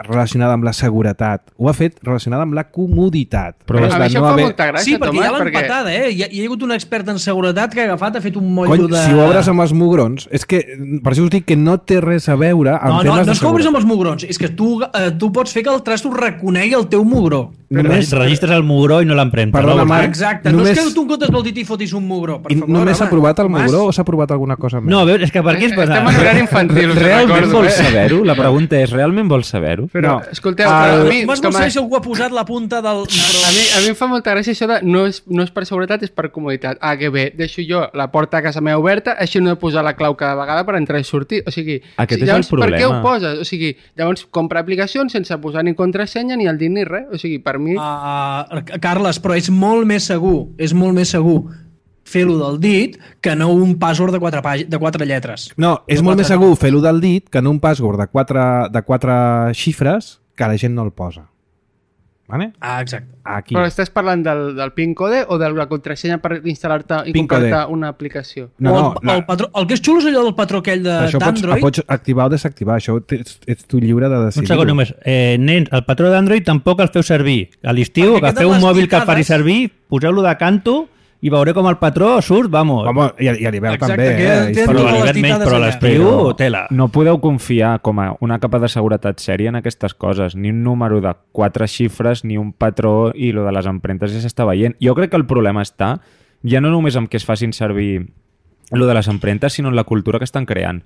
relacionada amb la seguretat. Ho ha fet relacionada amb la comoditat. Però a mi això no fa haver... molta gràcia, Sí, perquè Tomàs, ja l'han perquè... patada, eh? Hi ha, hi ha hagut un expert en seguretat que ha agafat, ha fet un Cony, motllo de... si ho obres amb els mugrons, és que per això us dic que no té res a veure amb No, no, temes no de és que obris amb seguretat. els mugrons, és que tu, eh, tu pots fer que el trasto reconegui el teu mugró. Només, Registres el mugró i no l'empremta. Perdona, no? Marc, Exacte, només- no és que tu en comptes del dit i fotis un mugró, per I favor. només s'ha home. provat el Tomàs, mugró o s'ha provat alguna cosa més? No, a veure, és que per què és Estem en pesat? horari infantil, us Realment recordo, vols eh? saber-ho? La pregunta és, realment vols saber-ho? Però, No. escolteu, El- però a mi, Tomàs vol Tomàs, saber si algú ha posat la punta del mugró. a mi, a mi em fa molta gràcia això de no és, no és per seguretat, és per comoditat. Ah, que bé, deixo jo la porta a casa meva oberta, així no he de posar la clau cada vegada per entrar i sortir. O sigui, Aquest si, és el llavors, per què ho problema. poses? O sigui, llavors compra aplicacions sense posar ni contrasenya ni el dit ni res. O sigui, per mi... Uh, Carles, però és molt més segur, és molt més segur fer-ho del dit que no un password de quatre, pàg- de quatre lletres. No, és De molt quatre més segur fer-ho del dit que no un password de quatre, de quatre xifres que la gent no el posa. Vale? Ah, exacte. Aquí. Però estàs parlant del, del PIN code o de la contrasenya per instal·lar-te i PIN code. comprar-te una aplicació? No, o el, no, la- el, patró, el que és xulo és allò del patró aquell de- Això pots, d'Android. pots activar o desactivar. Això ets, ets tu lliure de Un decidir. segon només. Eh, nens, el patró d'Android tampoc el feu servir. A l'estiu, Perquè agafeu queden un les mòbil que el picades. faci servir, poseu-lo de canto i veureu com el patró surt, vamos. Home, i, i a l'hivern Exacte, també. que Eh? tenen però totes a les l'hivern menys, titades però a allà. l'estiu, Però tela. no podeu confiar com a una capa de seguretat sèria en aquestes coses, ni un número de quatre xifres, ni un patró, i lo de les empremtes ja s'està veient. Jo crec que el problema està ja no només amb que es facin servir lo de les empremtes, sinó en la cultura que estan creant.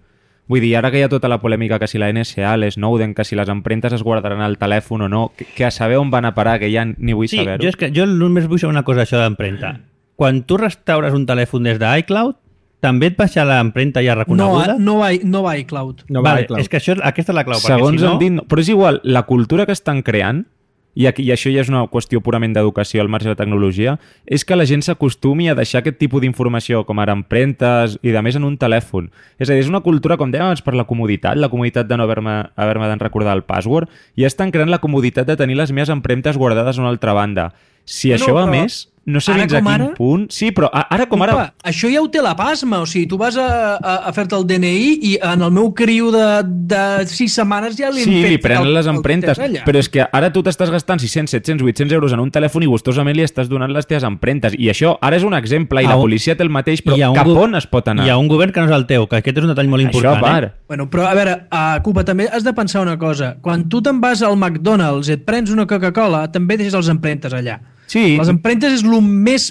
Vull dir, ara que hi ha tota la polèmica que si la N S A, l'Snowden, que si les empremtes es guardaran al telèfon o no, que, que a saber on van a parar, que ja ni vull Sí, saber-ho. jo, és que, jo només vull saber una cosa, això d'empremta. Quan tu restaures un telèfon des d'iCloud, també et baixa l'empremta ja No, reconeguda? no, va, no va iCloud. No va, vale, clar. és que això, aquesta és la clau. Segons perquè si no, han dit... Però és igual, la cultura que estan creant, i, aquí, i això ja és una qüestió purament d'educació al marge de la tecnologia, és que la gent s'acostumi a deixar aquest tipus d'informació, com ara empremtes i de més en un telèfon. És a dir, és una cultura, com dèiem abans, per la comoditat, la comoditat de no haver-me haver de recordar el password, i estan creant la comoditat de tenir les meves empremtes guardades a una altra banda. Si No, això va però més, no sé ara fins a com quin ara- punt... Sí, però a- ara com ara... Opa, això ja ho té la pasma, o sigui, tu vas a, a, a fer-te el D N I i en el meu criu de, de sis setmanes ja li Sí, hem fet li prenen el- les el empremtes, test allà. però és que ara tu t'estàs gastant sis-cents, set-cents, vuit-cents euros en un telèfon i gustosament li estàs donant les teves empremtes. I això ara és un exemple, i A la un- policia té el mateix, però hi ha un cap go- on es pot anar? Hi ha un govern que no és el teu, que aquest és un detall molt Això important. a part. Eh? Bueno, però a veure, a Cuba, també has de pensar una cosa. Quan tu te'n vas al McDonald's i et prens una Coca-Cola, també deixes les empremtes allà. Sí. Les empremtes és el més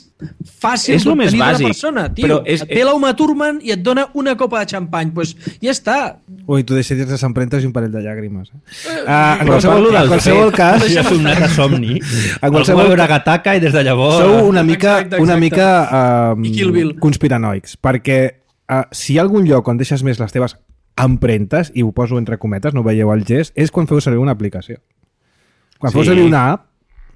fàcil És lo més d'obtenir d'una bàsic, persona, tio. però és- Et ve l'Uma Thurman i et dona una copa de xampany. Doncs pues ja està. Ui, tu deixaries les empremtes i un parell de llàgrimes. Eh? Uh, en Però qualsevol, parlo del en qualsevol fet. cas, Ja és un net de somni. En qualsevol Algú va veure ca- Gataca i des de llavors... sou una mica, Exacte, exacte. una mica um, I Kill Bill. conspiranoics, perquè uh, si hi ha algun lloc on deixes més les teves empremtes, i ho poso entre cometes, no veieu el gest, és quan feu servir una aplicació. Quan feu Sí. servir una app,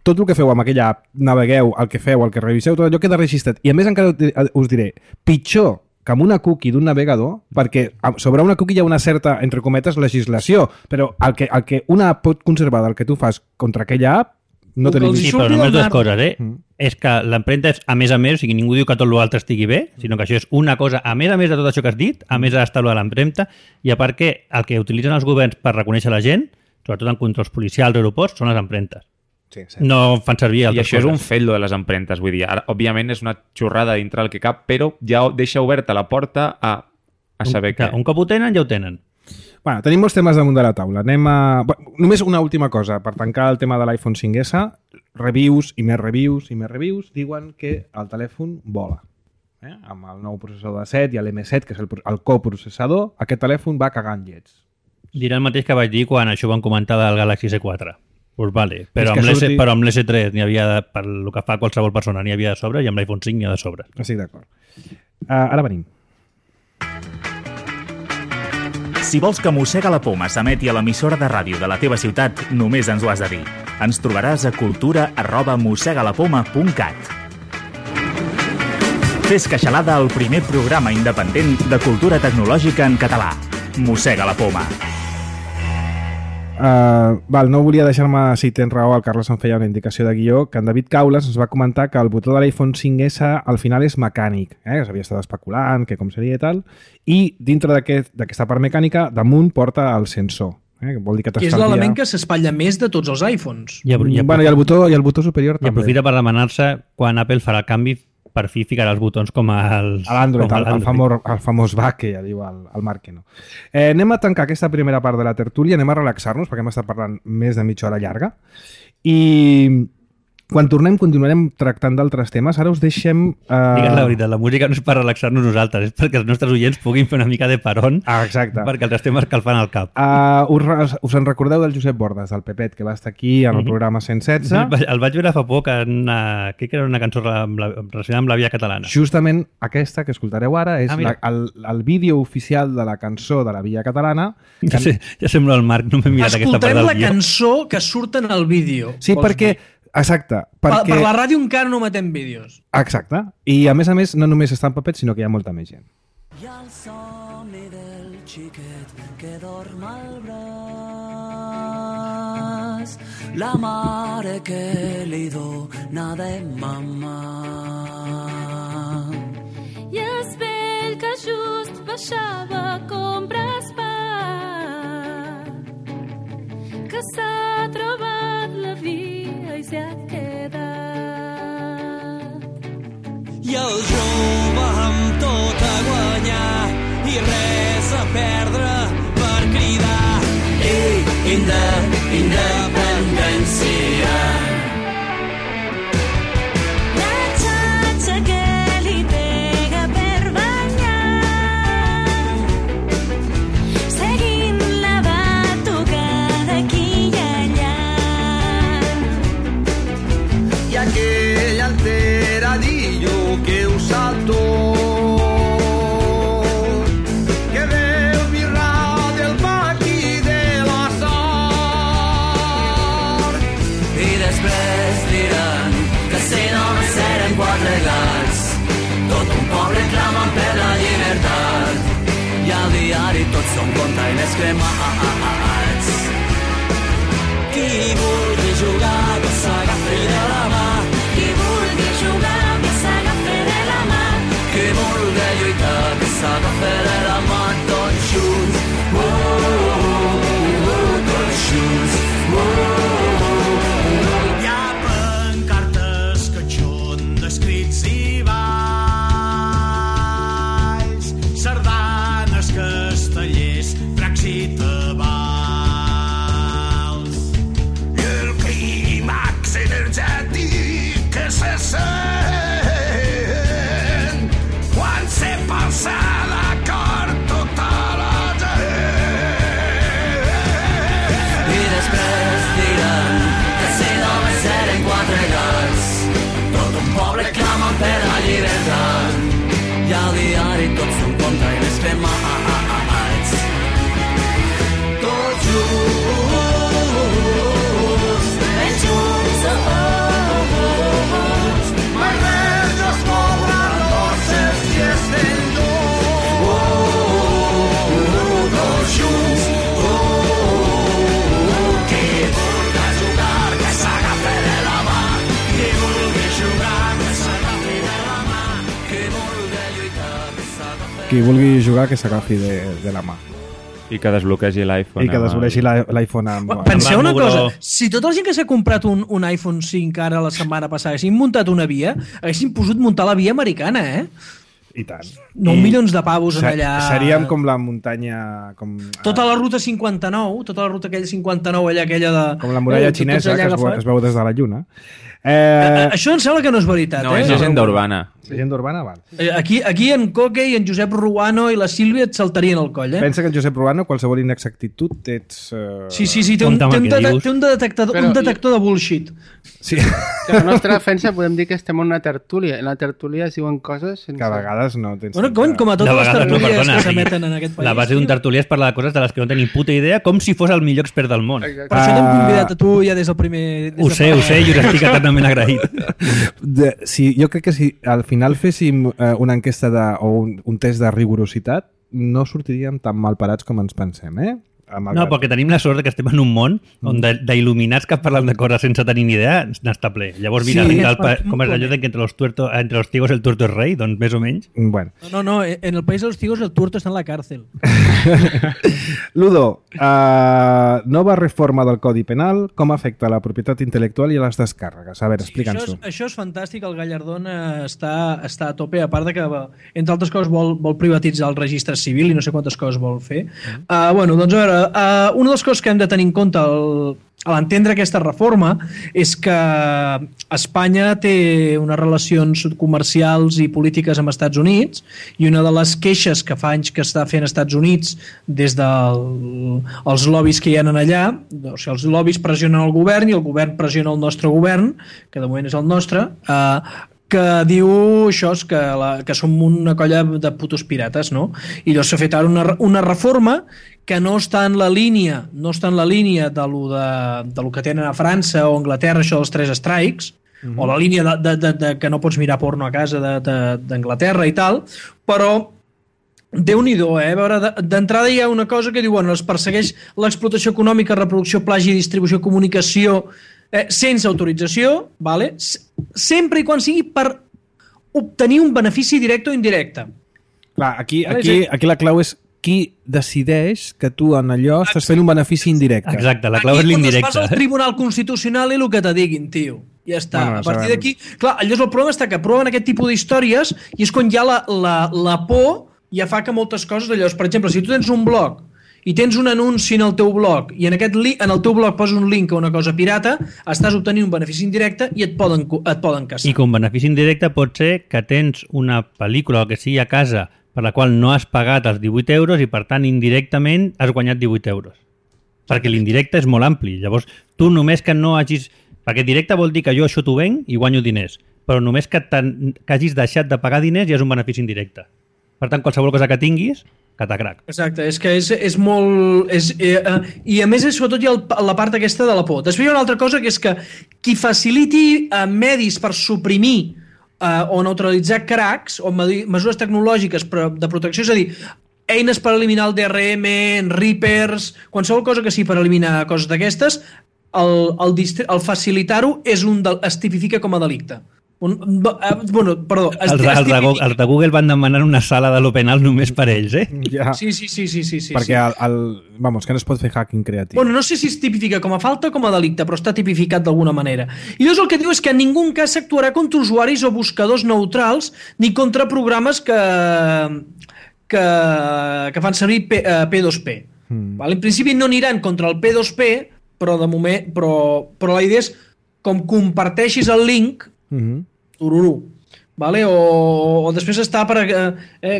tot el que feu amb aquella app, navegueu, el que feu, el que reviseu, tot allò queda registrat. I a més encara us diré, pitjor que amb una cookie d'un navegador, perquè sobre una cookie hi ha una certa, entre cometes, legislació, però el que, el que una app pot conservar del que tu fas contra aquella app, no O que tenim els ni... Sí, surti però només del dues mar. coses, eh? Mm. És que l'empremta és a més a més, o sigui, ningú diu que tot l'altre estigui bé, sinó que això és una cosa, a més a més de tot això que has dit, a més ha d'estar de l'empremta, i a part que el que utilitzen els governs per reconèixer la gent, sobretot en controls policials, aeroports, són les empremtes. Sí, sí. No fan servir I altres això coses. és un fet, lo de les empremtes. Vull dir, ara, òbviament és una xorrada dintre el que cap, però ja deixa oberta la porta a, a saber un, què. Un cop ho tenen, ja ho tenen. Bueno, tenim molts temes damunt de la taula. Anem a... Bueno, només una última cosa, per tancar el tema de l'iPhone cinc essa, reviews i més reviews i més reviews diuen que el telèfon vola. Eh? Amb el nou processador de set i l'M set, que és el, el coprocessador, aquest telèfon va cagant llets. Dirà el mateix que vaig dir quan això van comentar del Galaxy S quatre. Pues vale, però És que amb, l'S, surti- però amb l'S tres n'hi havia, de, per el que fa qualsevol persona, n'hi havia de sobre, i amb l'iPhone cinc n'hi ha de sobre. Estic d'acord. Uh, ara venim. Si vols que Mossega la Poma s'emeti a l'emissora de ràdio de la teva ciutat, només ens ho has de dir. Ens trobaràs a cultura arroba mossegalapoma punt cat. Fes Queixalada, el primer programa independent de cultura tecnològica en català. Mossega la Poma. Uh, val, no volia deixar-me, si tens raó, el Carles em feia una indicació de guió, que en David Caules ens va comentar que el botó de l'iPhone cinc essa al final és mecànic, eh? que s'havia estat especulant, que com seria i tal, i dintre d'aquesta aquest, part mecànica, damunt porta el sensor. Eh? Que vol dir que Que és l'element que s'espatlla més de tots els iPhones. I, i, Bueno, i el botó, i el botó superior i també. aprofita per demanar-se quan Apple farà el canvi, per fi ficarà els botons com els... A l'Android, com el, el, famós, el famós back que ja diu el, el Marc que no. Eh, anem a tancar aquesta primera part de la tertúlia, anem a relaxar-nos perquè hem estat parlant més de mitja hora llarga i quan tornem continuarem tractant d'altres temes. Ara us deixem... Eh... Digues la veritat, la música no és per relaxar-nos nosaltres, és perquè els nostres oients puguin fer una mica de peron, Ah, exacte. perquè els estem escalfant el cap. Uh, us, re- us en recordeu del Josep Bordes, del Pepet, que va estar aquí en el Mhm. programa cent setze? El, vaig- el vaig veure fa poc en una... Crec que era una cançó amb la, relacionada amb la via catalana. Justament aquesta que escoltareu ara és Ah, la, mira. el, el vídeo oficial de la cançó de la Via Catalana. Ja, sé, ja sembla el Marc, no m'he mirat aquesta part Escoltarem del la guió. cançó que surt en el vídeo. Sí, vols perquè... dir. Exacte. Per, Perquè... per la ràdio encara no matem vídeos. Exacte. I a més a més, no només està en Pepet, sinó que hi ha molta més gent. Hi ha el somni del xiquet que dorm al braç, la mare que li dona de mamà. I es vell que just baixava a comprar pa, que s'ha trobat la via i s'ha quedat. I el jove amb tot a guanyar i res a perdre per cridar ei, inde, independència. La xatxa que li pega per banyar, seguint la batucada aquí i allà. I aquell alteradillo que ho sap tot, que veu birrar del paqui de la sort. I després diran que si no serem quatre gats, tot un poble clamant per la llibertat. I al diari tots són containers cremats. Qui vulgui jugar que s'agafi de la mà, Qui vulgui jugar que s'agafi de la mà, qui vulgui lluitar que s'agafi de la mà, tots junts, uh, uh, uh, tots junts, uh, uh, uh. Hi ha pancartes que són d'escrits i balls, sardanes, castellers, dracs i tabals. I el clímax energètic que se sent quan se passa l'acord tota la gent. I després diran que si només serem quatre gats, tot un poble clama per la llibertat. I al diari tots són containers cremats. Tots junts, ben junts, oh, oh, oh, oh. mai res no es cobra dolces i estem junts. Oh, oh, oh, tots junts. Oh, oh, oh. Qui vulgui jugar que s'agafi de la mà, qui vulgui jugar que s'agafi de la mà, qui vulgui lluitar que s'agafi. Qui vulgui jugar, que s'agafi de, de la mà. I que desbloquegi l'iPhone. I que desbloquegi l'iPhone amb... Penseu una cosa, si tota la gent que s'ha comprat un, un iPhone cinc ara la setmana passada haguessin muntat una via, haguessin pogut muntar la via americana, eh? I tant. nou milions de pavos en allà. Seríem com la muntanya... Com, tota la ruta cinquanta-nou, tota la ruta aquella cinquanta-nou, allà aquella de... Com la muralla eh, xinesa que es veu, es veu des de la Lluna. Eh... Això em sembla que no és veritat, no, eh? No, és llegenda urbana. Llegenda urbana, val. Aquí, aquí en Coque i en Josep Ruano i la Sílvia et saltarien el coll, eh? Pensa que en Josep Ruano qualsevol inexactitud ets... Uh... Sí, sí, sí, té un, té un, de, té un detectador, Però, un detector de bullshit. Sí. Que la nostra defensa podem dir que estem en una tertúlia. En la tertúlia es diuen coses... Sense... Que a vegades no tens... Bueno, com, com a totes les tertúlies no, perdona, que s'emeten en aquest país. La base d'un tertúlia és parlar de coses de les que no tenim puta idea, com si fos el millor expert del món. Exacte. Per això t'hem convidat a tu ja des del primer... Des ho sé, ho sé, i us estic eternament agraït. De, si, jo crec que si al final féssim eh, una enquesta de, o un, un test de rigorositat, no sortiríem tan mal parats com ens pensem, eh? No, perquè tenim la sort que estem en un món on d'il·luminats que parlen de coses sense tenir ni idea n'està ple. Llavors, mira, sí, el, com és allò de que entre los, tuerto, entre los tigos el tuerto es rei, doncs més o menys. Bueno. No, no, no, en el país de los tigos el tuerto està en la càrcel. Ludo, uh, nova reforma del Codi Penal, com afecta la propietat intel·lectual i les descàrregues? A veure, explica'ns-ho. Sí, això, això és fantàstic, el Gallardón està, està a tope, a part de que, entre altres coses, vol, vol privatitzar el registre civil i no sé quantes coses vol fer. Uh, bueno, doncs a veure, Uh, una de les coses que hem de tenir en compte al, a l'entendre aquesta reforma és que Espanya té unes relacions comercials i polítiques amb Estats Units i una de les queixes que fa anys que està fent Estats Units des dels lobbies que hi ha allà, o sigui, els lobbies pressionen el govern i el govern pressiona el nostre govern, que de moment és el nostre, uh, que diu això és que, la, que som una colla de putos pirates, no? I llavors s'ha fet ara una, una reforma que no està en la línia, no està en la línia de lo, de, de lo que tenen a França o Anglaterra, això dels tres strikes, mm-hmm. o la línia de, de, de, de que no pots mirar porno a casa d'Anglaterra i tal, però Déu-n'hi-do, eh? A veure, d'entrada hi ha una cosa que diu, bueno, es persegueix l'explotació econòmica, reproducció, plagi, distribució, comunicació, eh, sense autorització, vale? Sempre i quan sigui per obtenir un benefici directe o indirecte. Clar, aquí, aquí, aquí la clau és qui decideix que tu en allò estàs fent un benefici indirecte. Exacte, la clau és l'indirecte. Aquí quan vas al Tribunal Constitucional i el que te diguin, tio. Ja està. Bueno, a partir d'aquí... Clar, llavors el problema està que aproven aquest tipus d'històries i és quan hi ha la, la, la por ja fa que moltes coses d'allò... Per exemple, si tu tens un blog i tens un anunci en el teu blog i en, aquest li, en el teu blog poses un link a una cosa pirata, estàs obtenint un benefici indirecte i et poden, et poden caçar. I com benefici indirecte pot ser que tens una pel·lícula o que sigui a casa per la qual no has pagat els divuit euros i, per tant, indirectament has guanyat divuit euros. Perquè l'indirecte és molt ampli. Llavors, tu només que no hagis... Perquè directe vol dir que jo això t'ho venc i guanyo diners, però només que, que hagis deixat de pagar diners ja és un benefici indirecte. Per tant, qualsevol cosa que tinguis, catacrac. Exacte, és que és, és molt... És, eh, eh, I a més, és, sobretot, hi ha el, la part aquesta de la por. Després hi ha una altra cosa, que és que qui faciliti eh, medis per suprimir eh, o neutralitzar cracs o mesures tecnològiques de protecció, és a dir, eines per eliminar el D R M, Reapers, qualsevol cosa que sigui per eliminar coses d'aquestes, el, el, el facilitar-ho és un del, es tipifica com a delicte. Un, bueno, perdó, es, els, els, de, els de Google van demanar una sala de l'Openal només per ells, eh? Ja. Sí, sí, sí, sí, sí, sí. Perquè el, el, vamos, que no es pot fer hacking creatiu. Bueno, no sé si es tipifica com a falta o com a delicte, però està tipificat d'alguna manera. I llavors el que diu és que en ningú cas s'actuarà contra usuaris o buscadors neutrals ni contra programes que, que, que fan servir P, uh, P dos P. Mm. Vale? En principi no aniran contra el P dos P, però de moment, però, però la idea és com comparteixis el link, mm-hmm. tururú, vale? o, o després està per... Eh,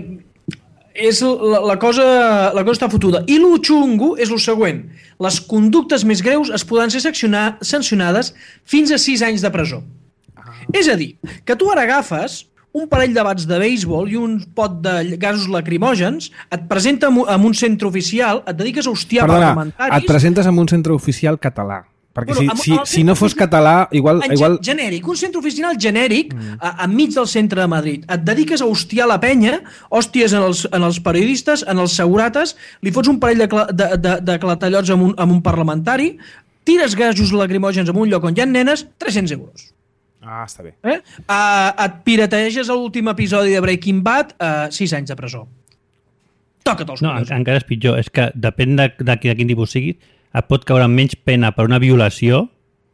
és la, la, cosa, la cosa està fotuda. I lo xungo és el següent. Les conductes més greus es poden ser sancionades fins a sis anys de presó. Ah. És a dir, que tu ara agafes un parell de bats de béisbol i un pot de gasos lacrimògens, et presenta en un centre oficial, et dediques a hostiar Perdona, parlamentaris... et presentes en un centre oficial català. Perquè bueno, si, si, si no fos català, igual... En igual... genèric, un centre oficial genèric, mm. a, enmig del centre de Madrid. Et dediques a hostiar la penya, hòsties en els, en els periodistes, en els segurates, li fots un parell de, de, de, de clatallots amb un, amb un parlamentari, tires gasos lacrimògens en un lloc on hi ha nenes, tres-cents euros. Ah, està bé. Eh? Uh, et pirateges l'últim episodi de Breaking Bad, uh, sis anys de presó. toca't els No, collons. encara és pitjor. És que depèn de, de, de quin tipus sigui, et pot caure menys pena per una violació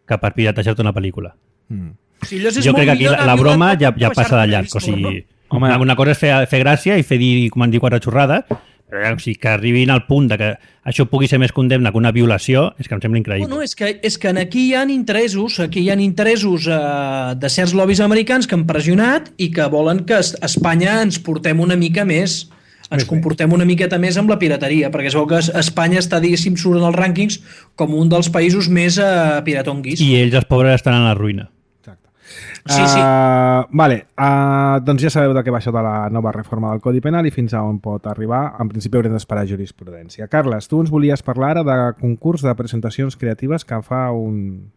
que per piratejar-te una pel·lícula. Mm. Si allò és Jo molt crec que aquí millor la, anar la broma violant ja, que ja passa de baixar-te llarg. O vist, sigui, Home, una, una cosa és fer, fer gràcia i fer dir, com han dit, quatre xorrades, però ja, o sigui, que arribin al punt de que això pugui ser més condemne que una violació, és que em sembla increïble. Bueno, és que, és que aquí hi ha interessos, aquí hi ha interessos eh, de certs lobbies americans que han pressionat i que volen que es- Espanya ens portem una mica més, ens Més comportem una miqueta més amb la pirateria, perquè es veu que es- Espanya està, diguéssim, surt en els rànquings com un dels països més eh, piratonguis. I ells, els pobres, estan en la ruïna. Exacte. Sí, sí. Uh, vale, uh, doncs ja sabeu de què va això de la nova reforma del Codi Penal i fins a on pot arribar. En principi haurem d'esperar jurisprudència. Carles, tu ens volies parlar ara de concurs de presentacions creatives que fa un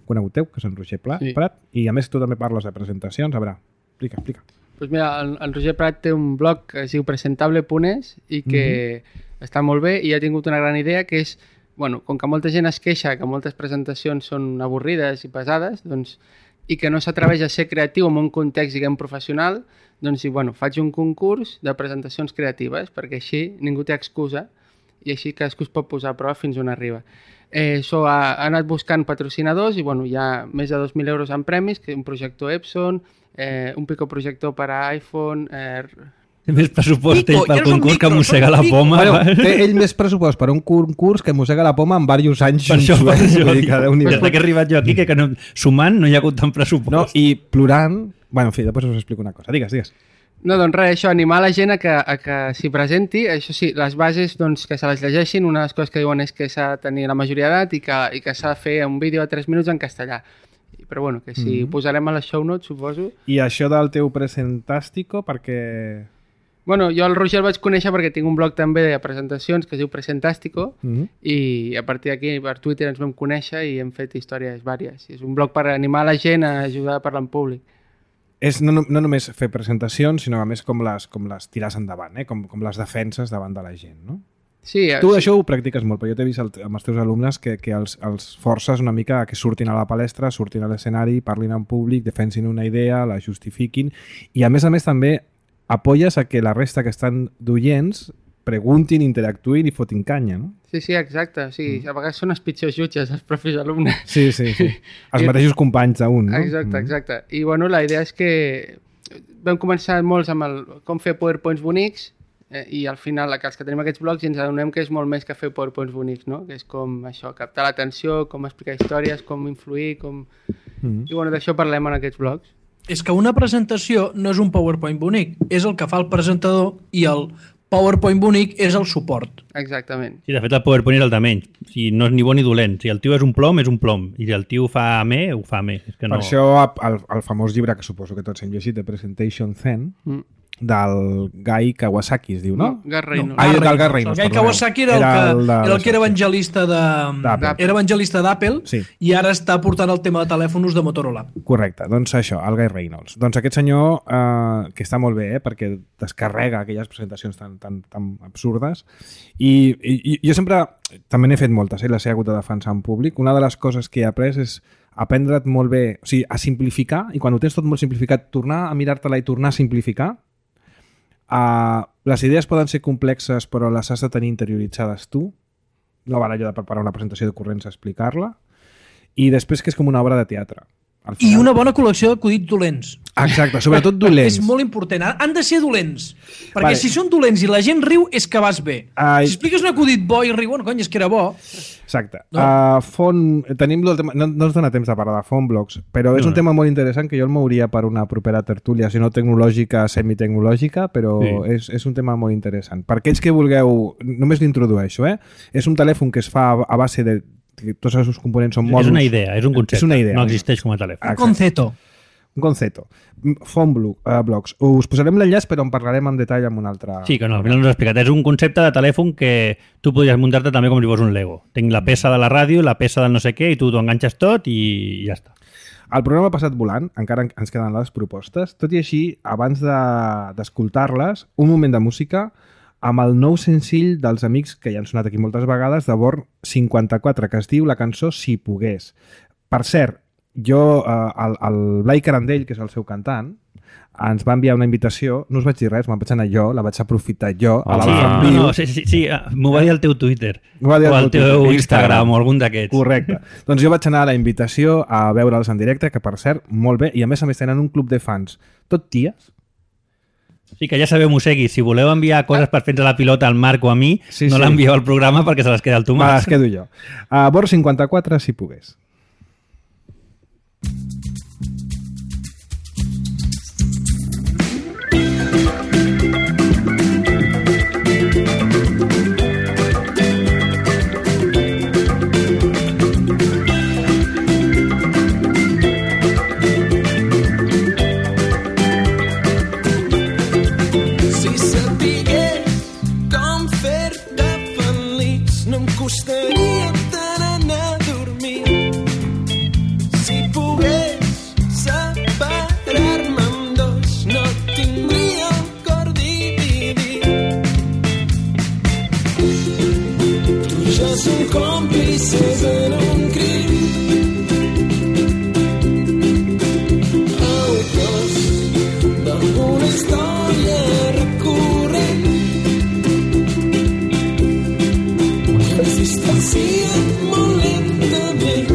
conegut teu, que és en Roger Pla, Sí. Prat, i a més tu també parles de presentacions. A veure, explica, explica. Pues mira, el, el Roger Prat té un blog que es diu presentable punt es i que mm-hmm. està molt bé i ha tingut una gran idea que és, bueno, com que molta gent es queixa que moltes presentacions són avorrides i pesades, doncs, i que no s'atreveix a ser creatiu en un context, diguem, professional, doncs, i, bueno, faig un concurs de presentacions creatives perquè així ningú té excusa i així cadascú es pot posar a prova fins on arriba. Eh, so, ha, ha anat buscant patrocinadors i bueno, hi ha més de dos mil euros en premis, que un projector Epson, eh, un picoprojector per a iPhone... Eh... Té més pressupost Pico, ell pel ja és un concurs micro, que mossega són la pico. poma. Bueno, té ell més pressupost per un concurs que mossega la poma en diversos anys. Per això, per junts, això. vull dir que Déu-n'hi-do. Des que he arribat jo aquí, que, que no, sumant no hi ha hagut tant pressupost. No, i plorant... Bueno, en fi, després us explico una cosa. Digues, digues. No, doncs res, això, animar la gent a que, a que s'hi presenti. Això sí, les bases, doncs, que se les llegeixin. Una de les coses que diuen és que s'ha de tenir la majoria d'edat i que, i que s'ha de fer un vídeo de tres minuts en castellà. Però bueno, que si Mhm. ho posarem a les show notes, suposo. I això del teu presentàstico, perquè... Bueno, jo el Roger el vaig conèixer perquè tinc un blog també de presentacions que es diu Presentàstico Mhm. i a partir d'aquí per Twitter ens vam conèixer i hem fet històries vàries. És un blog per animar la gent a ajudar a parlar en públic. És no, no, no només fer presentacions, sinó a més com les, com les tires endavant, eh? com, com les defenses davant de la gent, no? Sí, Tu sí. això ho practiques molt, però jo t'he vist el, amb els teus alumnes que, que els, els forces una mica a que surtin a la palestra, surtin a l'escenari, parlin en públic, defensin una idea, la justifiquin, i a més a més també apoyes a que la resta que estan d'oients preguntin, interactuïn i fotin canya, no? Sí, sí, exacte. O sigui, a vegades són els pitjors jutges, els propis alumnes. Sí, sí, sí. Els I- mateixos companys d'un, no? Exacte, exacte. I bueno, la idea és que vam començar molts amb el, com fer powerpoints bonics eh, i al final, que els que tenim aquests blogs, ens adonem que és molt més que fer powerpoints bonics, no? Que és com això, captar l'atenció, com explicar històries, com influir, com... Mm. I bueno, d'això parlem en aquests blogs. És que una presentació no és un PowerPoint bonic, és el que fa el presentador i el PowerPoint bonic és el suport. Exactament. Sí, de fet, el PowerPoint és el de menys. O sigui, no és ni bo ni dolent. Si el tio és un plom, és un plom. I si el tio ho fa a me, ho fa a me. És que no... Per això el, el famós llibre que suposo que tots hem llegit, de Presentation Zen, Mm. del Guy Kawasaki, es diu, no? Gar Reynolds. Ah, del Gar Reynolds, El Guy perdoneu. Kawasaki era el, Era que, el de- era el que era evangelista de... d'Apple. Era evangelista d'Apple Sí. i ara està portant el tema de telèfons de Motorola. Correcte, doncs això, el Guy Reynolds. Doncs aquest senyor, eh, que està molt bé, eh, perquè descarrega aquelles presentacions tan, tan, tan absurdes, i, i, i jo sempre, també n'he fet moltes, eh, les he hagut de defensar en públic. Una de les coses que he après és aprendre't molt bé, o sigui, a simplificar, i quan ho tens tot molt simplificat, tornar a mirar-te-la i tornar a simplificar. Uh, les idees poden ser complexes, però les has de tenir interioritzades tu. No val allò de preparar una presentació de corrents a explicar-la. I després que és com una obra de teatre. Al I final- una bona col·lecció d'acudits dolents. Exacte, sobretot dolents. És molt important. Han de ser dolents. Perquè Vale. si són dolents i la gent riu, és que vas bé. Ai. Si expliques un acudit bo i riuen, cony, és que era bo. Exacte. No? No? Uh, font, tenim el tema, no, no ens dona temps de parlar de Fontblogs, però és No, un no. tema molt interessant que jo el mouria per una propera tertúlia, si no tecnològica, semitecnològica, però Sí. és, és un tema molt interessant. Per aquells que vulgueu, només l'introdueixo, eh? És un telèfon que es fa a, a base de... que tots els seus components són mòduls. És una idea, és un concepte. És una idea. No existeix com a telèfon. Exacte. Conceto. Un concepto. Fontblog, uh, blogs. Us posarem l'enllaç, però en parlarem en detall amb un altre... Sí, que no, al final no us he explicat. És un concepte de telèfon que tu podries muntar-te també com si fos un Lego. Tinc la peça de la ràdio, la peça del no sé què, i tu t'ho enganxes tot i ja està. El programa ha passat volant, encara en- ens queden les propostes. Tot i així, abans de- d'escoltar-les, un moment de música amb el nou senzill dels amics que ja han sonat aquí moltes vegades, de Born cinquanta-quatre, que es diu la cançó Si pogués. Per cert, jo, eh, el, el Blai Carandell, que és el seu cantant, ens va enviar una invitació, no us vaig dir res, me'n vaig anar jo, la vaig aprofitar jo, a la Sí, Live en no, viu. no, sí, sí, sí, m'ho va dir el teu Twitter. M'ho va dir o el el teu Twitter, Instagram, Instagram. o algun d'aquests. Correcte. Doncs jo vaig anar a la invitació a veure'ls en directe, que per cert, molt bé, i a més a més tenen un club de fans, tot ties. Sí, que ja sabeu, Mosegui, si voleu enviar coses per fer-nos la pilota al Marc o a mi, Sí, no sí. l'envieu al programa perquè se les queda el Me Tomàs. les quedo jo. A Bor cinquanta-quatre, si pogués. Si sapigués com fer-te feliç, no em costaria tant anar a dormir. Si pogués separar-me en dos, no tindria el cor dividit. Tu i jo som còmplices en un crim. Autors d'alguna història recurrent. Es distancien molt lentament.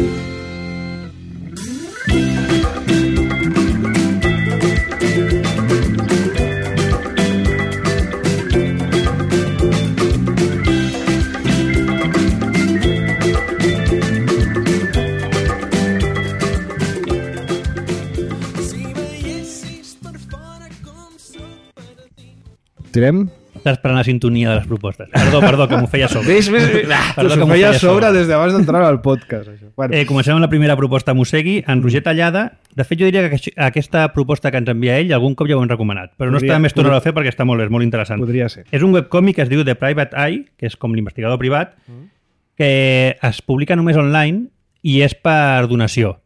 Si veiessis per fora com sóc per a ti. Tirem? Estàs esperant la sintonia de les propostes. Perdó, perdó, que m'ho feia a sobre. Ves, ves, ves. Perdó, T'ho que m'ho feia feia a sobre des d'abans d'entrar al podcast. Això. Bueno, Eh, comencem amb la primera proposta a Mosegui, en Roger Tallada. De fet, jo diria que això- aquesta proposta que ens envia ell algun cop ja ho hem recomanat, però no Podria- està més tornar a fer perquè està molt bé, és molt interessant. podria ser. És un webcòmic que es diu The Private Eye, que és com l'investigador privat, que es publica només online i és per donació.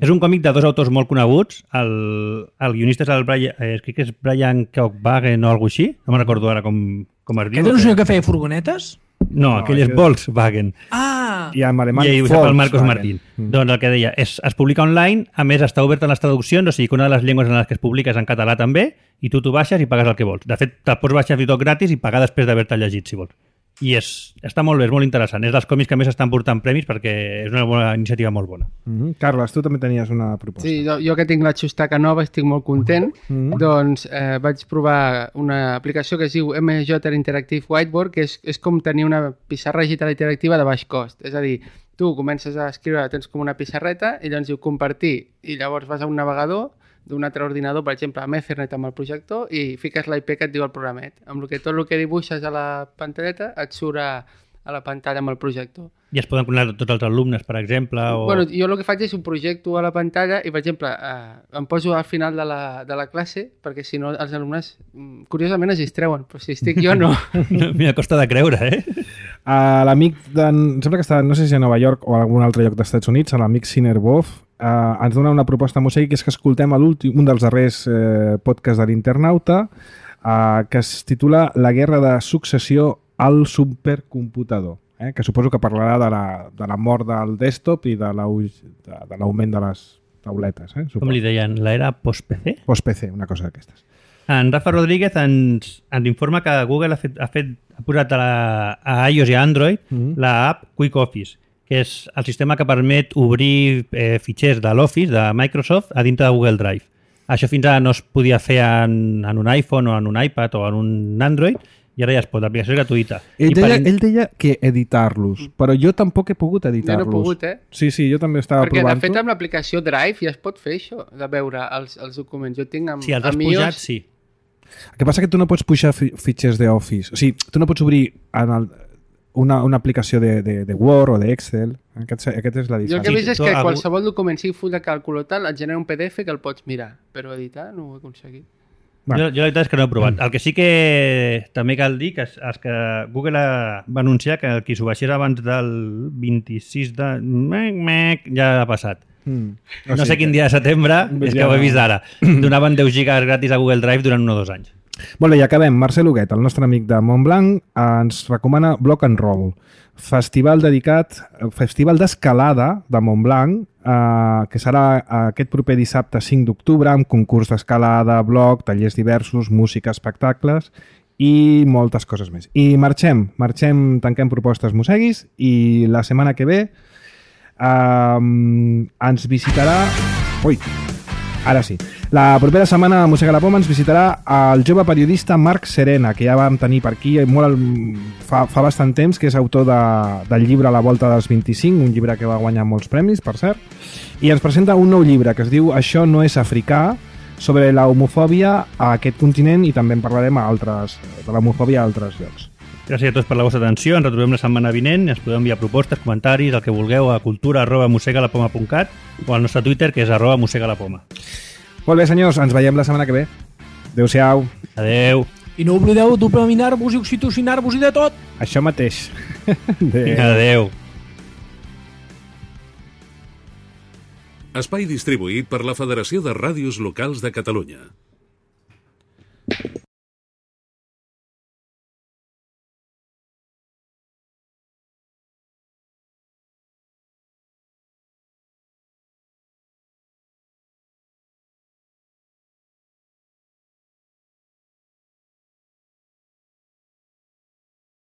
És un còmic de dos autors molt coneguts. El, el guionista és el Brian, eh, crec que és Brian Kochwagen o alguna així. No me'n recordo ara com, com es diu. Aquest és un senyor que feia furgonetes? No, aquell és aquest- Volkswagen. Ah! I en alemany, I ho sap el Marcos Volkswagen. Martín. Mm. Doncs el que deia, és, es publica online, a més està obert a les traduccions, o sigui que una de les llengües en les que es publica és en català també, i tu t'ho baixes i pagues el que vols. De fet, te'l pots baixar i tot gratis i pagar després d'haver-te llegit, si vols. I és, està molt bé, és molt interessant. És dels còmics que més estan portant premis perquè és una bona iniciativa molt bona. Mhm. Carles, tu també tenies una proposta. Sí, jo, jo que tinc la xustaca nova estic molt content. Mhm. Doncs eh, vaig provar una aplicació que es diu M J Interactive Whiteboard, que és, és com tenir una pissarra digital interactiva de baix cost. És a dir, tu comences a escriure, tens com una pissarreta i llavors diu compartir i llavors vas a un navegador d'un altre ordinador, per exemple, amb Ethernet amb el projector i fiques l'I P que et diu el programet. Amb el que tot el que dibuixes a la pantalleta et surt a, a la pantalla amb el projector. I es poden connectar tots els alumnes, per exemple, o... Bueno, jo el que faig és un projecto a la pantalla i, per exemple, eh, em poso al final de la, de la classe perquè si no els alumnes, mm, curiosament, es distreuen, però si estic jo no. Mira, costa de creure, eh? A l'amic, de, em sembla que està, no sé si a Nova York o a algun altre lloc dels Estats Units, a l'amic Sinerboff, eh, ens dona una proposta a Mosegui, que és que escoltem a l'últim, un dels darrers eh, podcasts de l'Internauta, eh, que es titula La guerra de successió al supercomputador, eh, que suposo que parlarà de la, de la mort del desktop i de l'au- de, de l'augment de les tauletes. Eh, Com li deien, l'era post-P C? Post-P C, una cosa d'aquestes. En Rafa Rodríguez ens, ens informa que Google ha, fet, ha, fet, ha posat a, la, a iOS i a Android Mhm. la app Quick Office, que és el sistema que permet obrir eh, fitxers de l'Office, de Microsoft, a dintre de Google Drive. Això fins ara no es podia fer en, en un iPhone o en un iPad o en un Android, i ara ja es pot, l'aplicació és gratuïta. Ell I per deia, in- ell deia que editar-los, però jo tampoc he pogut Jo editar-los. no he pogut, eh? Sí, sí, jo també estava Perquè, de provant-ho. fet, amb l'aplicació Drive ja es pot fer això, de veure els, els documents. Jo tinc amb, Si els has amb pujat, iOS- sí. El que passa que tu no pots pujar fi- fitxers d'Office. O sigui, tu no pots obrir en el, una, una aplicació de, de, de Word o d'Excel. Aquest, aquest és la Jo el que diferència. he vist és tu que algú- qualsevol document, sigui full de càlcul o tal, et genera un P D F que el pots mirar, però editar no ho he aconseguit. Bueno. Jo, jo la veritat és que no he provat. Mm. El que sí que també cal dir que és, és que Google ha, va anunciar que qui s'ho baixés abans del vint-i-sis de... Mec, mec, ja ha passat. Mm. No sé quin dia de setembre, és que Ja ho he no. vist ara. Donaven deu gigas gratis a Google Drive durant un o dos anys. Molt bé, i acabem. Marcel Huguet, el nostre amic de Montblanc, ens recomana Block and Roll, festival dedicat, festival d'escalada de Montblanc, eh, que serà aquest proper dissabte cinc d'octubre, amb concurs d'escalada, bloc, tallers diversos, música, espectacles i moltes coses més. I marxem, marxem, tanquem propostes Mosseguis i la setmana que ve eh, ens visitarà... Ui, ara sí. La propera setmana a Mossega la Poma ens visitarà el jove periodista Marc Serena, que ja vam tenir per aquí molt, fa, fa bastant temps, que és autor de, del llibre La volta dels vint-i-cinc, un llibre que va guanyar molts premis, per cert, i ens presenta un nou llibre que es diu Això no és africà, sobre la homofòbia a aquest continent, i també en parlarem a altres, de l'homofòbia a altres llocs. Gràcies a tots per la vostra atenció. Ens retrobem la setmana vinent. Ens podeu enviar propostes, comentaris, el que vulgueu a cultura arroba mossegalapoma punt cat o al nostre Twitter, que és arroba mossegalapoma. Molt bé, senyors, ens veiem la setmana que ve. Adéu-siau. Adéu. I no oblideu dopaminar-vos i oxitocinar-vos i de tot. Això mateix. Adéu. Adéu. Espai distribuït per la Federació de Ràdios Locals de Catalunya.